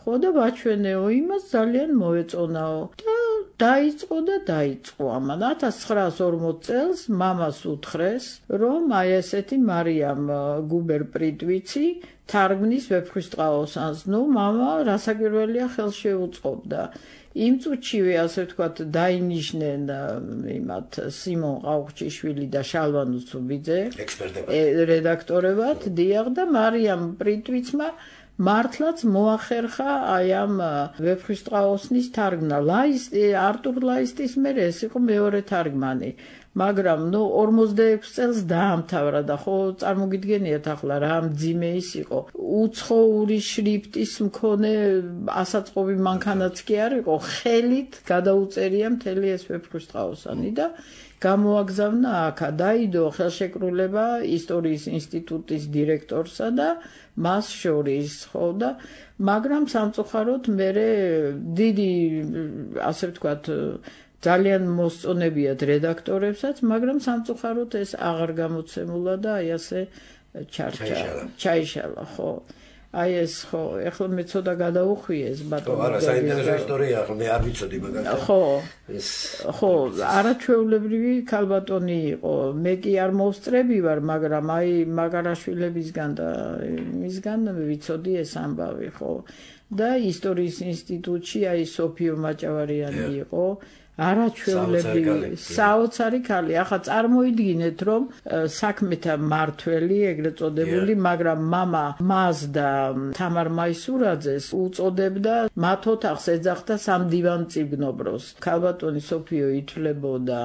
ხო და ვაჩვენეო იმას, ძალიან მოეწონაო და დაიწყო და დაიწყო ამან. ათას ცხრაასი ორმოც წელს მამას უთხრეს, რომ აი ესეთი მარიამ გუბერ-პრიტვიცი თარგმნის ვეფხვის ტყაოსანს. ნუ მამა რასაკვირველია ხელს შეუწყობდა. იმ წუთშივე ასე ვთქვათ დაინიშნენ იმათ სიმონ ყაუხჩიშვილი და შალვა ნუცუბიძე რედაქტორებად, დიახ და მარიამ პრიტვიცმა მართლაც მოახერხა აი ამ ვეფხვის ტყაოსნის თარგმნა. ლაისტი, არტურ ლაისტის მერე ეს იყო მეორე თარგმანი. მაგრამ ნუ ორმოცდაექვსი წელს დაამთავრა და ხო წარმოგიდგენიათ ახლა რა მძიმე ის იყო. უცხოური შრიფტის მქონე ასაწყობი მანქანაც კი არ იყო, ხელით გადაუწერია მთელი ეს ვეფხვის ტყაოსანი და გამოაგზავნა აქა, დაიდო ხელშეკრულება ისტორიის ინსტიტუტის დირექტორსა და მას შორის, ხო და მაგრამ სამწუხაროდ მერე დიდი ასე ვთქვათ ძალიან მოსწონებიათ რედაქტორებსაც, მაგრამ სამწუხაროდ ეს აღარ გამოცემულა და აი ასე ჩარჩა, ჩაიშალა, ხო. აი ეს ხო, ეხლა მე ცოტა გადაუხვიეს ბატონო. ხო, არა, საინტერესო ისტორია, ხო, მე არ ვიცოდი მაგალითად. ხო. ეს ხო, არაჩვეულებრივი ქალბატონი იყო. მე კი არ მოვსწრები ვარ, მაგრამ აი მაგარაშვილებისგან და მისგან ვიცოდი ეს ამბავი, ხო. და ისტორიის ინსტიტუტში აი სოფიო მაჭავარიანი იყო. არაჩვეულებრივი საოცარი ქალი. ახლა წარმოიდგინეთ რომ საქმეთა მართველი ეგრეთ წოდებული, მაგრამ მამა მას და თამარ მაისურაძეს უწოდებდა მათ ოთახს ეძახდა სამდივანწიგნობროს. ქალბატონი სოფიო ითვლებოდა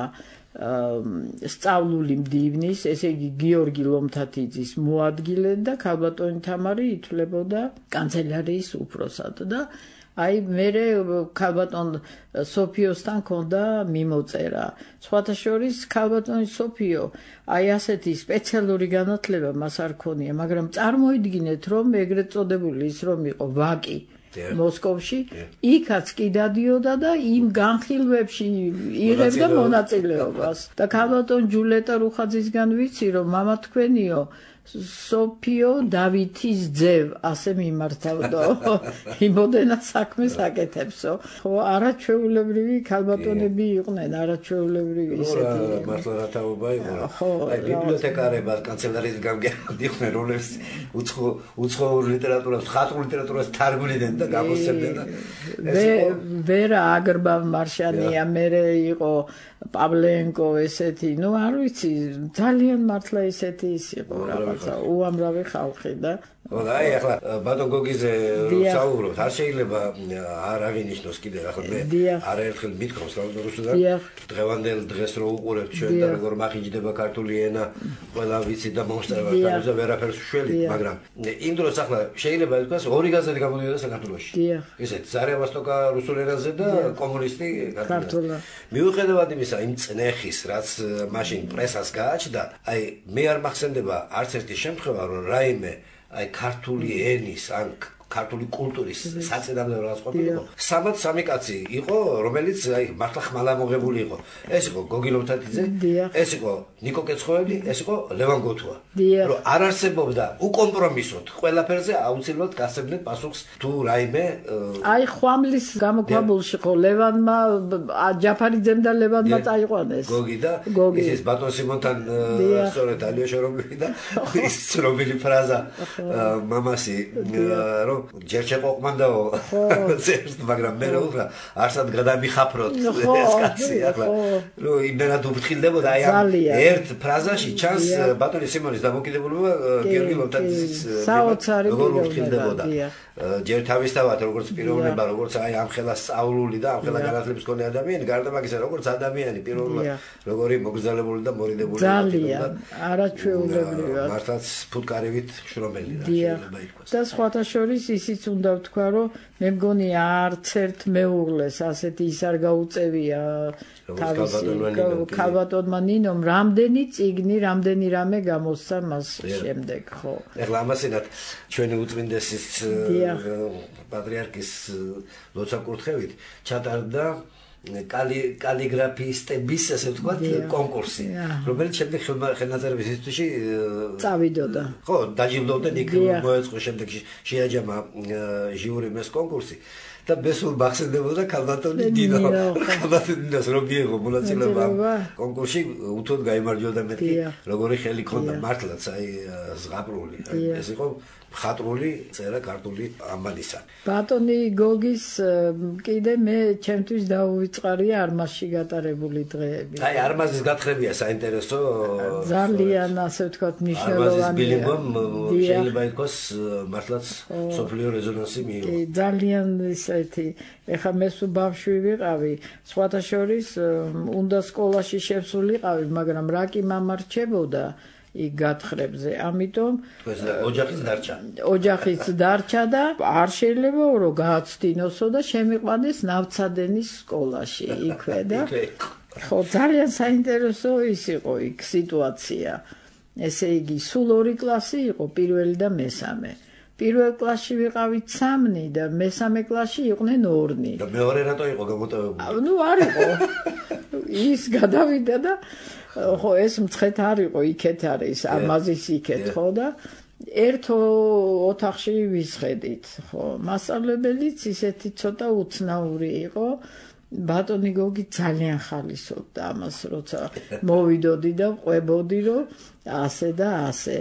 სწავლული მდივნის, ესე იგი გიორგი ლომთათიძის მოადგილე და ქალბატონი თამარი ითვლებოდა კანცელარიის უფროსად და აი მერე ქალბატონ სოფიოსთან ქონდა მიმოწერა. სხვათა შორის ქალბატონი სოფიო აი ასეთი სპეციალური განათლება მას არ ქონია, მაგრამ წარმოიდგინეთ რომ ეგრეთ წოდებული ის რომ იყო ვაკი მოსკოვში, იქაც კი დადიოდა და იმ განხილვებში იღებდა მონაწილეობას. და ქალბატონ ჯულეტა რუხაძისგან ვიცი რომ მამა თქვენიო სოფიო დავითის ძევ ასე მიმართავდო იმოდენა საქმეს აკეთებსო ხო არაჩვეულებრივი ქალბატონები იყვნენ არაჩვეულებრივი ისეთი მართლა რა თაობა იყო აი ბიბლიოთეკარებად კანცელარიის გამგებდნენ რომლებიც უცხო უცხოურ ლიტერატურას ხატრულ ლიტერატურას თარგმნიდნენ და გამოსცემდნენ და ვერა აგრბავ მარშანია მერე იყო პავლენკო ესეთი ნუ არ ვიცი ძალიან მართლა ესეთი ის იყო რაღაცა უამრავი ხალხი და ხო და აი ახლა ბატონ გოგიზე საუბრობთ არ შეიძლება არ აღინიშნოს კიდე ახლა მე არაერთხელ მithქვავს რუსულად დღევანდელ დღეს რო უყურებთ ჩვენ და როგორ მახინჯდება ქართული ენა ყველა ვიცი და მომსწრება და ვერაფერს შველი მაგრამ იმ დროს ახლა შეიძლება ითქვას ორი გაზეთი გამოდიოდა საქართველოში ესეთ ზარევასტოკა რუსულ ენაზე და კომუნისტი ქართულად მიუხედავად იმისა იმ წნეხის რაც მაშინ პრესას გააჩნდა აი მე არ მახსენდება არც ერთი შემთხვევა რომ რაიმე აი ქართული ენის ან ქართული კულტურის საწინააღმდეგო რაღაც ყოფილიყო სამად სამი კაცი იყო რომელიც აი მართლა ხმალამოღებული იყო ეს იყო გოგი ლომთათიძე ეს იყო ნიკო კეცხოველი ეს იყო ლევან გოთუა რომ არ არსებობდა უკომპრომისოდ ყველაფერზე აუცილებლად გასცემდნენ პასუხს თუ რაიმე აი ხვამლის გამოქვაბულში ხო ლევანმა ჯაფარიძემ და ლევანმა წაიყვანეს გოგი და ის ბატონ სიმონთან სწორედ ალიოშორობილი და ის ცნობილი ფრაზა მამასი რომ ჯერ შეყოყმანდაო ზერს მაგრამ მე რა უბრალოდ არსად გადამიხაფროთ ეს კაცი ახლა რომ იმენად უფრთხილდებოდა აი ამ ერთ ფრაზაში ჩანს ბატონი სიმონის დამოკიდებულება გიორგი ლომთათიძის საოცარი უფრთხილდებოდა ჯერ თავისთავად როგორც პიროვნება როგორც აი ამ ხელა სწავლული და ამ ხელა განათლების მქონე ადამიანი გარდა მაგისა როგორც ადამიანი პიროვნულად როგორი მოგზალებული და მორიდებული ძალიან არაჩვეულებრივად მართლაც ფუტკარივით შრომელი რა შეიძლება ითქვას და სხვათა შორის ისიც უნდა ვთქვა რომ მე მგონი არც ერთ მეუღლეს ასეთი ის არ გაუწევია თავისი ქალბატონმა ნინომ რამდენი წიგნი რამდენი რამე გამოსცა მას შემდეგ ხო ეხლა ამასინათ ჩვენი უწმინდესის პატრიარქის ლოცვა-კურთხევით ჩატარდა კალიგრაფისტების ასე ვთქვათ კონკურსი რომელიც შემდეგ ხელნაწერების ინსტიტუტში წავიდოდა ხო დაჯილდოვდნენ იქ მოეწყო შემდეგში შეაჯამა ჟიურიმ ეს კონკურსი და ბესულ მახსენდებოდა ქალბატონი დინო ქალბატონი დინოს რომ მიიღო მონაწილეობა კონკურსში უთოდ გაიმარჯვებოდა მეთქი როგორი ხელი ქონდა მართლაც აი ზღაპრული ეს იყო ხატრული წერა ქართული ამბანისა ბატონი გოგის კიდე მე ჩემთვის დაუვიწყარია არმაზში გატარებული დღეები აი არმაზის გათხრებია საინტერესო ძალიან ასე ვთქვათ მნიშვნელოვანია შეიძლება ითქვას მართლაც სოფლიო რეზონანსი მიიღო ძალიან ისეთი ეხლა მე სულ ბავშვი ვიყავი სხვათა შორის უნდა სკოლაში შევსულიყავი მაგრამ რა კი მამარჩებოდა იქ გათხრებზე ამიტომ ოჯახიც დარჩა ოჯახიც დარჩა და არ შეიძლება რომ გააცდინოსო და შემიყვანეს ნავცადენის სკოლაში იქვე და ხო ძალიან საინტერესო ის იყო იქ სიტუაცია ესე იგი სულ ორი კლასი იყო პირველი და მესამე პირველ კლასში ვიყავით სამნი და მესამე კლასში იყვნენ ორნი და მეორე რატო იყო გამოტოვებული ნუ არ იყო ის გადავიდა და ხო ეს მცხეთ არ იყო იქეთ არის ამაზის იქეთ ხო და ერთ ოთახში ვისხედით ხო მასწავლებელიც ისეთი ცოტა უცნაური იყო ბატონი გოგი ძალიან ხალისობდა ამას როცა მოვიდოდი და ყვებოდი რომ ასე და ასე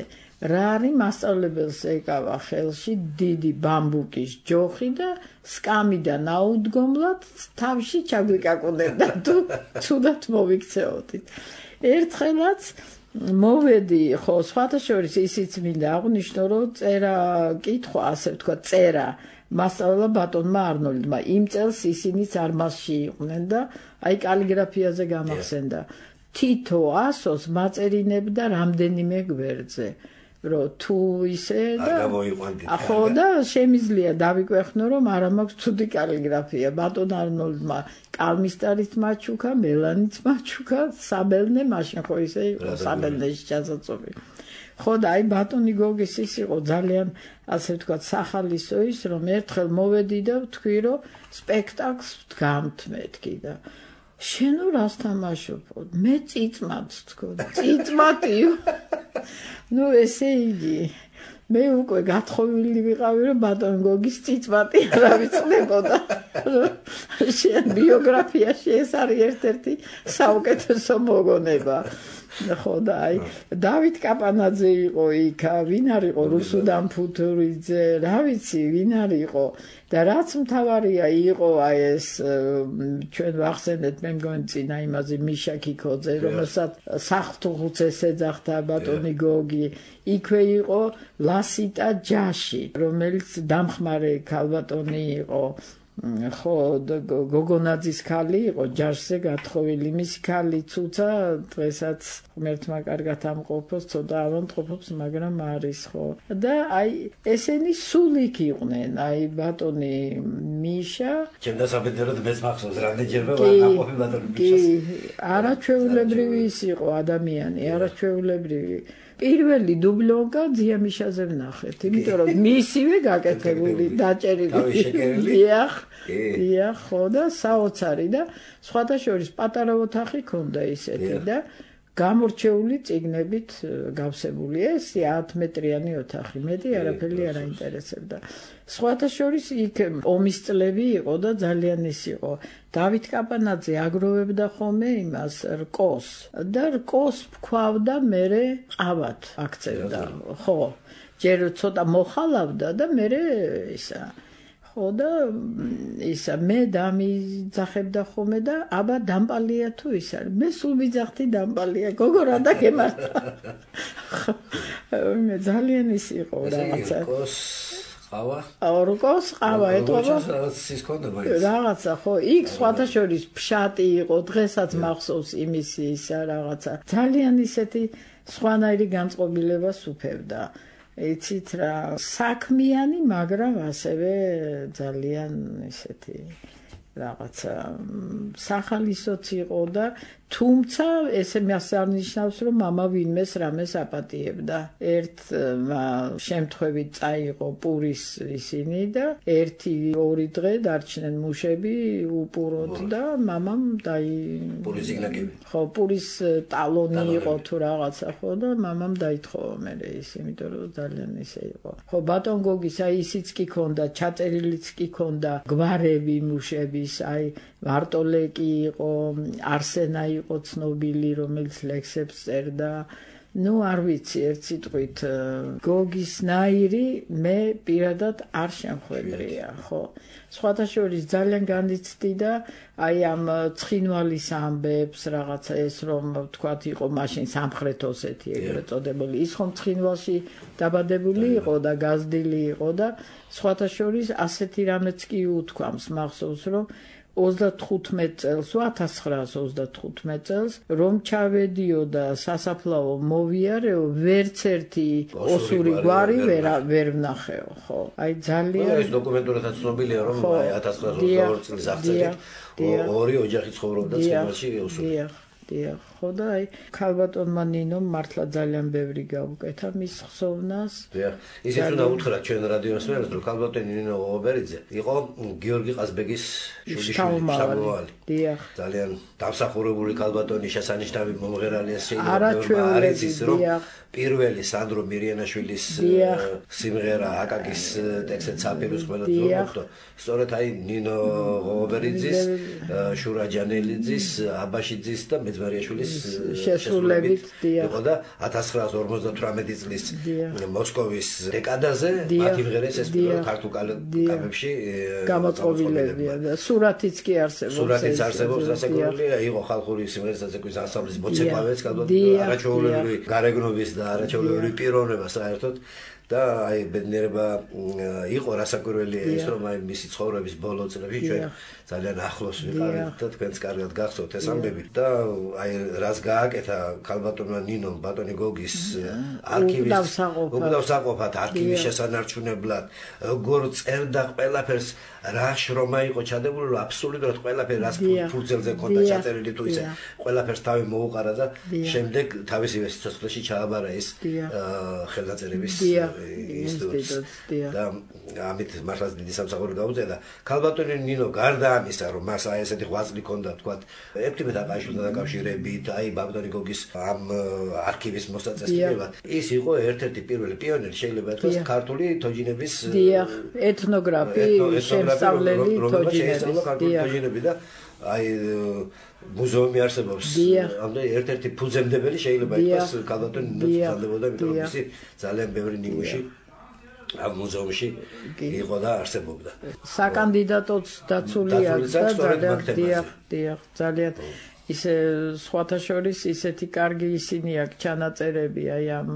რა არის მასწავლებელს ეკავა ხელში დიდი ბამბუკის ჯოხი და სკამიდან აუდგომლად თავში ჩაგვიკაკუნებდა თუ ცუდად მოვიქცეოდით ერთხელაც მოვედი ხო სხვათა შორის ისიც მინდა აღვნიშნო რომ წერა კითხვა ასე ვთქვა წერა მასწავლა ბატონმა არნოლდმა იმ წელს ისინიც არმაზში იყვნენ და აი კალიგრაფიაზე გამახსენდა თითო ასოს მაწერინებდა რამდენიმე გვერდზე რომ თუ ისე და ახო და შემიძლია დავიკვეხნო რომ არა მაქვს ცუდი კალიგრაფია ბატონ არნოლდმა კალმისტარით მაჩუქა მელანით მაჩუქა საბელნე მაშინ ხო ისე იყო საბელნეში ჩასაწობი ხო და აი ბატონი გოგის ის იყო ძალიან ასე ვთქვათ სახალისო ის რომ ერთხელ მოვედი და ვთქვი რომ სპექტაკლს ვდგამთ მეთქი და შენ რას თამაშობ? მე წიწმად თქო, წიწმატიო. ნუ ესე იგი მე უკვე გათხოვილი ვიყავი რომ ბატონ გოგის წიწვატი არა ვიცნებოდა. შენ ბიოგრაფიაში ეს არის ერთ-ერთი საუკეთესო მოგონება. ხო და აი დავით კაპანაძე იყო იქ, ვინ არ იყო რუსუდან ფუთურიძე, რა ვიცი, ვინ არ იყო და რაც მთავარია იყო აი ეს ჩვენ ვახსენეთ მე მგონი წინა იმაზე მიშა ქიქოძე, რომელსაც საფრთხუცეს ეძახდა ბატონი გოგი, იქვე იყო ლასიტა ჯაში, რომელიც დამხმარე ქალბატონი იყო. ხო გოგონაძის ქალი იყო ჯაშზე გათხოვილი მისი ქალი ცუცა დღესაც ღმერთმა კარგად ამყოფოს ცოტა ავანტყოფობს მაგრამ არის ხო და აი ესენი სულ იქ იყვნენ აი ბატონი მიშა ჩემ დასაბედეროდ მეც მახსოვს რამდენჯერმე ვაყოფი ბატონი მიშას არაჩვეულებრივი ის იყო ადამიანი არაჩვეულებრივი პირველი დუბლონკა ძიამიშაზე ვნახეთ, იმიტომ რომ მისივე გაკეთებული, დაჭერილი. დიახ, დიახ, ხო და საოცარი და სხვათა შორის პატარა ოთახი ქონდა ისეთი და გამორჩეული წიგნებით გავსებული ეს ათი მეტრიანი ოთახი, მეტი არაფერი არ აინტერესებდა. სხვათა შორის იქ ომის წლები იყო და ძალიან ის იყო. დავით კაპანაძე აგროვებდა ხოლმე იმას რკოს და რკოს ფქვავდა მერე ყავად აქცევდა. ხო, ჯერ ცოტა მოხალავდა და მერე ისა ხო და ისა მე დამიძახებდა ხოლმე და აბა დამპალია თუ ის არის მე სულ ვიძახდი დამპალია გოგო რა დაგემართა მე ძალიან ის იყო რაღაცა ყავა ორკოს ყავა ეთქობა რაღაცის კონდა მაინც რაღაცა ხო იქ სხვათა შორის ფშატი იყო დღესაც მახსოვს იმის ისა რაღაცა ძალიან ისეთი სხვანაირი განწყობილებას უფევდა იცით რა საქმიანი მაგრამ ასევე ძალიან ისეთი რაღაცა სახალისოც იყო და თუმცა ესე მას არ ნიშნავს რომ მამა ვინმეს რამეს აპატიებდა ერთ შემთხვევით წაიღო პურის ისინი და ერთი ორი დღე დარჩნენ მუშები უპუროთ და მამამ დაი პურის იგნაკები ხო პურის ტალონი იყო თუ რაღაცა ხო და მამამ დაითხოვა მე ის იმიტომ რომ ძალიან ისე იყო ხო ბატონ გოგის აი ისიც კი ქონდა ჩაწერილიც კი ქონდა გვარები მუშების აი ვარტოლეკი იყო არსენა იყო ცნობილი რომელიც ლექსებს წერდა ნუ არ ვიცი ერთ სიტყვით გოგის ნაირი მე პირადად არ შემხვედრია ხო სხვათა შორის ძალიან განიცდი და აი ამ ცხინვალის ამბებს რაღაცა ეს რომ თქვათ იყო მაშინ სამხრეთ ოსეთი ეგრეთ წოდებული ის ხომ ცხინვალში დაბადებული იყო და გაზრდილი იყო და სხვათა შორის ასეთი რამეც კი უთქვამს მახსოვს რომ ოცდათხუთმეტ წელს ათას ცხრაას ოცდათხუთმეტ წელს რომ ჩავედიო და სასაფლაო მოვიარეო ვერც ერთი ოსური გვარი ვერ ვერ ვნახეო ხო აი ძალიან ეს დოკუმენტურადაც ცნობილია რომ აი ათას ცხრაას ოცდაორი წლის აღწერით ორი ოჯახი ცხოვრობდა ცხინვალში ოსური დიახ ხო და აი ქალბატონმა ნინომ მართლა ძალიან ბევრი გავუკეთა მის ხსოვნას დიახ ისიც უნდა უთხრა ჩვენ რადიოს მერეს რომ ქალბატონი ნინო ობერიძე იყო გიორგი ყაზბეგის შთამომავალი დიახ ძალიან დამსახურებული ქალბატონი შესანიშნავი მომღერალია შეიძლება არ იცის რომ პირველი სანდრო მირიანაშვილის სიმღერა აკაკის ტექსტით საფიროს ყველა თორქო სწორედ აი ნინო ობერიძის შურა ჯანელიძის აბაშიძის და მეძმარიაშვილის შესრულებით იყო და ათას ცხრაას ორმოცდათვრამეტი წლის მოსკოვის დეკადაზე მათ იმღერეს ეს ქართულ კალებში გამოწყობილებია და სურათიც კი არსებობს სურათიც არსებობს რასაკურველია იყო ხალხური სიმღერის დაწესების ანსამბლის მოცეკვავეც კალბატონი არაჩვეულებრივი გარეგნობის და არაჩვეულებრივი პიროვნება საერთოდ და აი ბედნიერება იყო რასაკურველია ის რომ აი მისი ცხოვრების ბოლო წლებში ჩვენ ძალიან ახლოს ვიყავით და თქვენც კარგად გახსოვთ ეს ამბები და აი რას გააკეთა ქალბატონმა ნინომ ბატონი გოგის არქივის უკდავსაყოფად არქივის შესანარჩუნებლად როგორ წერდა ყველაფერს რა შრომა იყო ჩადებული რომ აბსოლუტურად ყველაფერი რას ფუძელზე ქონდა ჩაწერილი თუ ისე ყველაფერს თავი მოუყარა და შემდეგ თავისივე სიცოცხლეში ჩააბარა ეს ხელნაწერების ინსტიტუტს და ამით მართლაც დიდი სამსახური გაუწია და ქალბატონი ნინო გარდა ამისა რომ მას აი ესეთი ღვაწლი ჰქონდა თქვათ ეფთიმე დაკავშირდა დაკავშირებით აი ბაბდონი გოგის ამ არქივის მოსაწესრიგებლად ის იყო ერთ-ერთი პირველი პიონერი შეიძლება ითქვას ქართული თოჯინების ეთნოგრაფი შემსწავლელი თოჯინების და აი მუზეუმი არსებობს ამდენი ერთ-ერთი ფუძემდებელი შეიძლება ითქვას ქალბატონი ნინოს ძალებოდა იმიტომ რომ ისი ძალიან ბევრი ნიმუში ამ მუზეუმში იყო და არსებობდა საკანდიდატოც დაცულია და ძალიან დიახ დიახ ძალიან ისე სხვათა შორის ისეთი კარგი ისინი აქვს ჩანაწერები აი ამ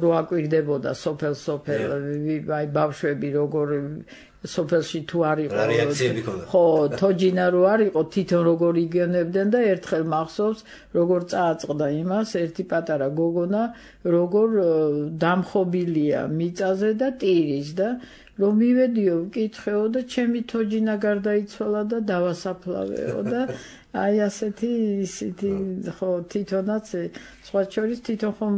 რო აკვირდებოდა სოფელ სოფელ აი ბავშვები როგორ სოფელში თუ არ იყო ხო თოჯინა რო არ იყო თვითონ როგორ იგონებდნენ და ერთხელ მახსოვს როგორ წააწყდა იმას ერთი პატარა გოგონა როგორ დამხობილია მიწაზე და ტირის და რომ მივედიო ვკითხეო და ჩემი თოჯინა გარდაიცვალა და დავასაფლავეო და აი ასეთი ისეთი ხო თვითონაც სხვა შორის თვითონ ხომ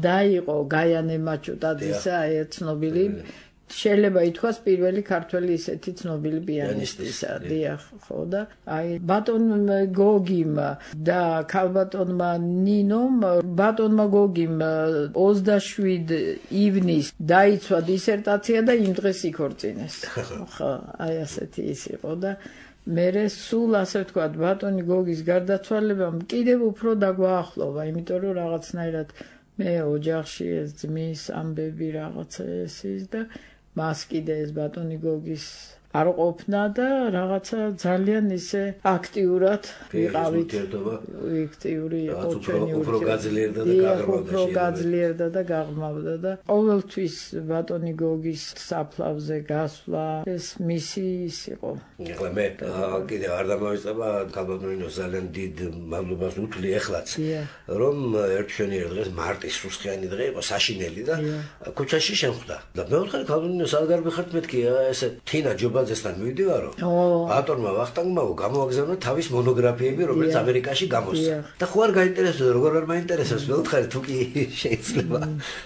დაიყო გაიანე მაჩუტაძისა აი ცნობილი შეიძლება ითქვას პირველი ქართველი ისეთი ცნობილი პიანისტისა დიახ ხო და აი ბატონ გოგიმ და ქალბატონმა ნინომ ბატონმა გოგიმ ოცდაშვიდი ივნისს დაიცვა დისერტაცია და იმ დღეს იქორწინეს ხო აი ასეთი ის იყო და მერე სულ ასე ვთქვათ ბატონი გოგის გარდაცვალებამ კიდევ უფრო დაგვაახლოვა იმიტომ რომ რაღაცნაირად მე ოჯახში ეს ძმის ამბები რაღაცა ეს ის და მას კიდე ეს ბატონი გოგის არ ყოფნა და რაღაცა ძალიან ისე აქტიურად ვიყავით აქტიური იყო ჩვენი უფრო გაძლიერდა და გაღრმავდა უფრო გაძლიერდა და გაღრმავდა და ყოველთვის ბატონი გოგის საფლავზე გასვლა ეს მისი ის იყო ეხლა მე კიდე არ დამავიწყება ქალბატონინოს ძალიან დიდ მადლობას უთვლი ეხლაც რომ ერთშენიერ დღეს მარტის სუსხიანი დღე იყო საშინელი და ქუჩაში შემხვდა და მეოთხე ქალბატონინოს არ გარბიხართ მეთქი ესე თინა ჯობა ზესთან მივიდივარო. ბატონმა ვახტანგმა გამოაგზავნა თავის მონოგრაფიები, რომელიც ამერიკაში გამოსცა. და ხო არ გაინტერესებდა, როგორ არ მაინტერესებს, მეოთხე თუ კი შეიძლება.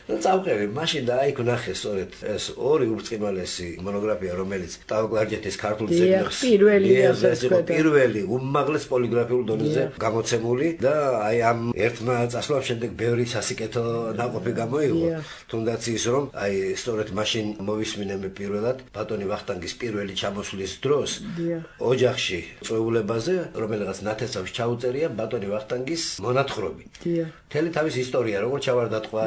და წავყევი, მაშინ და აი ვნახე სწორედ ეს ორი ურწყიმალესი მონოგრაფია, რომელიც ტავკლარჯეთის ქართულ ძეგლს პირველი უმაღლეს პოლიგრაფიულ დონეზე გამოცემული და აი ამ ერთმა წასვლამ შემდეგ ბევრი სასიკეთო ნაყოფი გამოიღო. თუნდაც ის რომ აი სწორედ მაშინ მოვისმინე მე პირველად ბატონი ვახტანგის პირველი ჩამოსვლის დროს ოჯახში წვეულებაზე, რომელიღაც ნათესავს ჩაუწერია ბატონი ვახტანგის მონათხრობი. მთელი თავის ისტორია, როგორ ჩავარდატყვა,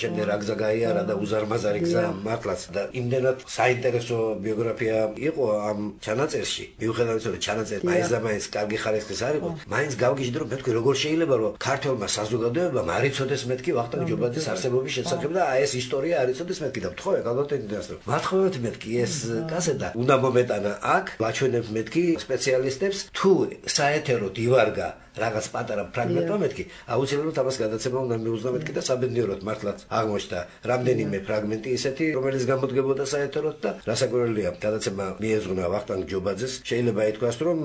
შემდეგ რა გზა გაიარა და უზარმაზარი გზა მართლაც და იმდენად საინტერესო ბიოგრაფია იყო ამ ჩანაწერში. მიუხედავად იმისა, რომ ჩანაწერი მაინც და მაინც კარგი ხარისხის არ იყო, მაინც გავგიჟდი რომ მეთქვი როგორ შეიძლება რომ ქართველმა საზოგადოებამ არ იცოდეს მეთქი ვახტანგ ჯობაძის არსებობის შესახებ და აი ეს ისტორია არ იცოდეს მეთქი და ვთხოვე ალბათ რომ მათხოვეთ მეთქი ეს კასეტა უნდა მომეტანა აქ ვაჩვენებ მეთქი სპეციალისტებს თუ საეთეროდ ივარგა რაღაც პატარა ფრაგმენტმა მეთქი აუცილებლად ამას გადაცემა უნდა მიუძღვნა მეთქი და საბედნიეროდ მართლაც აღმოჩნდა რამდენიმე ფრაგმენტი ისეთი რომელიც გამოდგებოდა საეთეროდ და რასაკვირველია გადაცემა მიეძღვნა ვახტანგ ჯობაძეს შეიძლება ითქვას რომ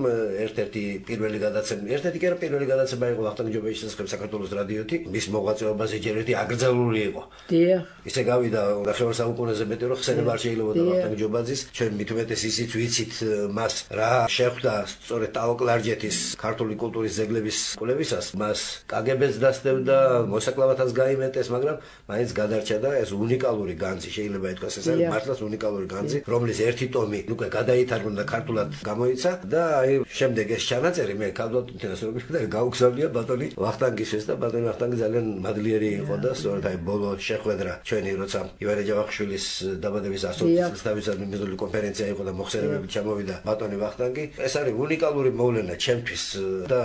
ერთ-ერთი პირველი გადაცემა ერთ-ერთი კი არა პირველი გადაცემა იყო ვახტანგ ჯობაძის შესახებ საქართველოს რადიოთი მის მოღვაწეობაზე ჯერ ერთი აკრძალული იყო დიახ ისე გავიდა ნახევარ საუკუნეზე მეტი რომ ხსენება არ შეიძლება ვახტანგ ჯობაძის ჩვენ მithumetes ისიც ვიცით მას რა შეხვდა სწორედ ტავკლარჯეთის ქართული კულტურის ძეგლ კვლევისას მას კაგებეც დასდევდა, მოსაკლავათაც გაიმეტეს, მაგრამ მაინც გადარჩა და ეს უნიკალური განძი შეიძლება ითქვას, ეს არის მართლაც უნიკალური განძი, რომლის ერთი ტომი უკვე გადაითარგმნა და ქართულად გამოიცა და აი შემდეგ ეს ჩანაწერი მე ქალბატონთანაც როგორ და გაუგზავნია ბატონი ვახტანგისთვის და ბატონი ვახტანგი ძალიან მადლიერი იყო და სწორედ აი ბოლო შეხვედრა ჩვენი როცა ივანე ჯავახიშვილის დაბადების ასოციაციის თავისადმი მეზობელი კონფერენცია იყო და მოხსენებებით ჩამოვიდა ბატონი ვახტანგი. ეს არის უნიკალური მოვლენა ჩემთვის და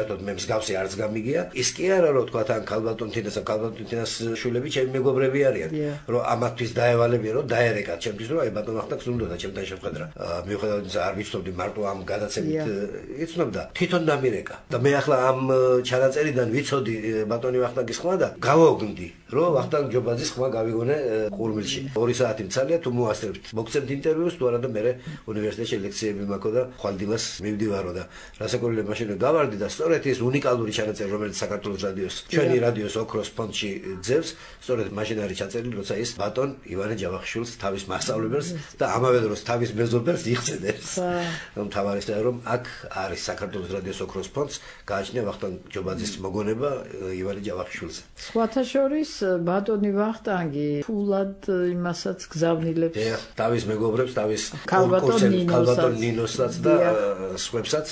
საერთოდ მე მსგავსი არც გამიგია. ის კი არა რომ თქვა თან ქალბატონთინას და ქალბატონთინას შვილები ჩემი მეგობრები არიან, რომ ამათთვის დაევალებიან, რომ დაერეკათ ჩემთვის, რომ აი ბატონ ვახტანგს უნდა ჩემთან შეხვედრა. მიუხედავად იმისა, არ ვიცნობდი მარტო ამ გადაცემით იცნობდა. თვითონ დამირეკა. და მე ახლა ამ ჩანაწერიდან ვიცოდი ბატონი ვახტანგის ხმა და გავაუგნდი, რომ ვახტანგ ჯობაძის ხმა გავიგონე ყურმილში. ორი საათი მცალია თუ მოასწრებთ. მოგცემთ ინტერვიუს თუ არა და მე უნივერსიტეტში ლექციები მაქვს და ხვალდილას მივდივარო და რასაკვირველია მაშინ გავარდი და სწორედ ეს უნიკალური ჩანაწერი რომელიც საქართველოს რადიოს ჩვენი რადიოს ოქროს ფონდში ძევს სწორედ მაშინ არის ჩაწერილი როცა ის ბატონ ივანე ჯავახიშვილს თავის მასწავლებელს და ამავე დროს თავის მეზობელს იხსენებს. რომ თავარია რომ აქ არის საქართველოს რადიოს ოქროს ფონდს გააჩნია ვახტანგ ჯობაძის მოგონება ივანე ჯავახიშვილს. სხვათა შორის ბატონი ვახტანგი ფულად იმასაც გზავნილებს. დიახ, თავის მეგობრებს, თავის ქალბატონ ნინოსაც და სხვებსაც.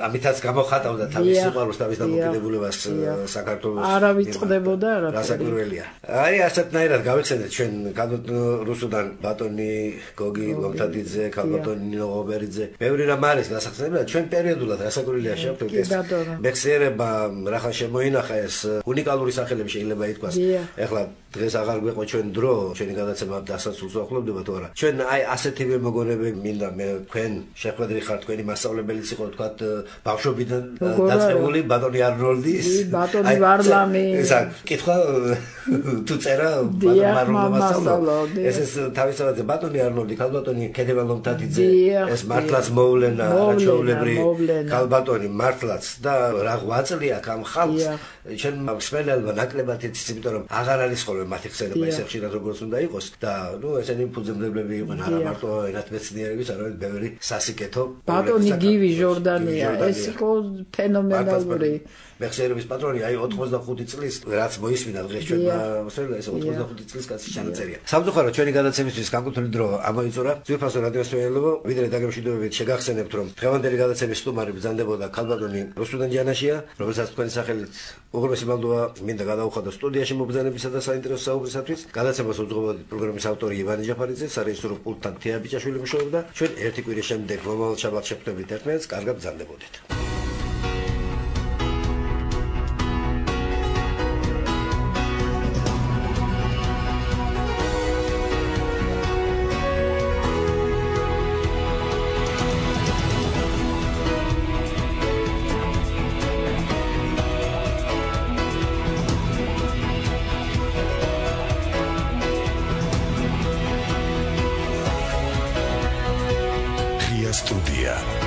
ამითაც გამოხატავდა თავის სიყვარულს, თავის დამოკიდებულებას საქართველოს. არა ვიწყდებოდა არაფერი. რასაკვირველია. აი ასეთნაირად გავიხსენეთ ჩვენ რუსუდან ბატონი გოგი ლომთათიძე, ქალბატონი ნინო ღობერიძე. ბევრი რამ არის გასახსენებელი, ჩვენ პერიოდულად რასაკვირველია შევხვდით ეს. მეხსიერება რახან შემოინახა ეს უნიკალური სახელები შეიძლება ითქვას. ეხლა დღეს აღარ გვეყო ჩვენ დრო, ჩვენი გადაცემა დასასრულს ვახლოვდება თუ არა. ჩვენ აი ასეთივე მოგონებები მინდა მე თქვენ შეხვედრი ხართ თქვენი მასწავლებელიც იყო თქვათ ბავშვობიდან დაწყებული ბატონი არნოლდის. ბატონი ვარლამი. ესა კითხვა თუ წერა ბატონი მასწავლებელი. ეს ეს თავისთავად ბატონი არნოლდი, ქალბატონი ქედევან ლომთათიძე, ეს მართლაც მოვლენა, არაჩვეულებრივი ქალბატონი მართლაც და რა ღვაწლი აქვს ამ ხალხს. ჩვენ მსმენელმა ნაკლებად იცის, იმიტომ რომ აღარ არის ხოლმე მათი ხსენება ისე ხშირად როგორც უნდა იყოს და ნუ ესენი ფუძემდებლები იყვნენ არა მარტო ენათმეცნიერების, არამედ ბევრი სასიკეთო. ბატონი გივი ჟორდანია, ეს იყო ფენომენალური. მეხსიერების პატრონი აი ოთხმოცდახუთი წლის რაც მოისმინა დღეს ჩვენმა მოსწავლეებმა ეს ოთხმოცდახუთი წლის კაცი ჩანაწერია. სამწუხაროდ ჩვენი გადაცემისთვის განკუთვნილი დრო ამოიწურა. ძვირფასო რადიოსმენელო, ვიდრე დაგემშვიდობებით შეგახსენებთ რომ დღევანდელი გადაცემის სტუმარი ბრძანდებოდა ქალბატონი რუსუდან ჯანაშია, რომელსაც თქვენი სახელით უღრმესი მადლობა მინდა გადაუხადო სტუდიაში მობრძანებისა და საინტერესო საუბრისათვის. გადაცემას უძღვებოდი პროგრამის ავტორი ივანე ჯაფარიძე, სარეჟისორო პულტთან თეა ბიჭაშვილი მუშაობდა. ჩვენ ერთი კვირის შემდეგ მომავალ შაბათს შეხვდებით ერთმანეთს, კარგად ბრძანდებოდეთ. Studia.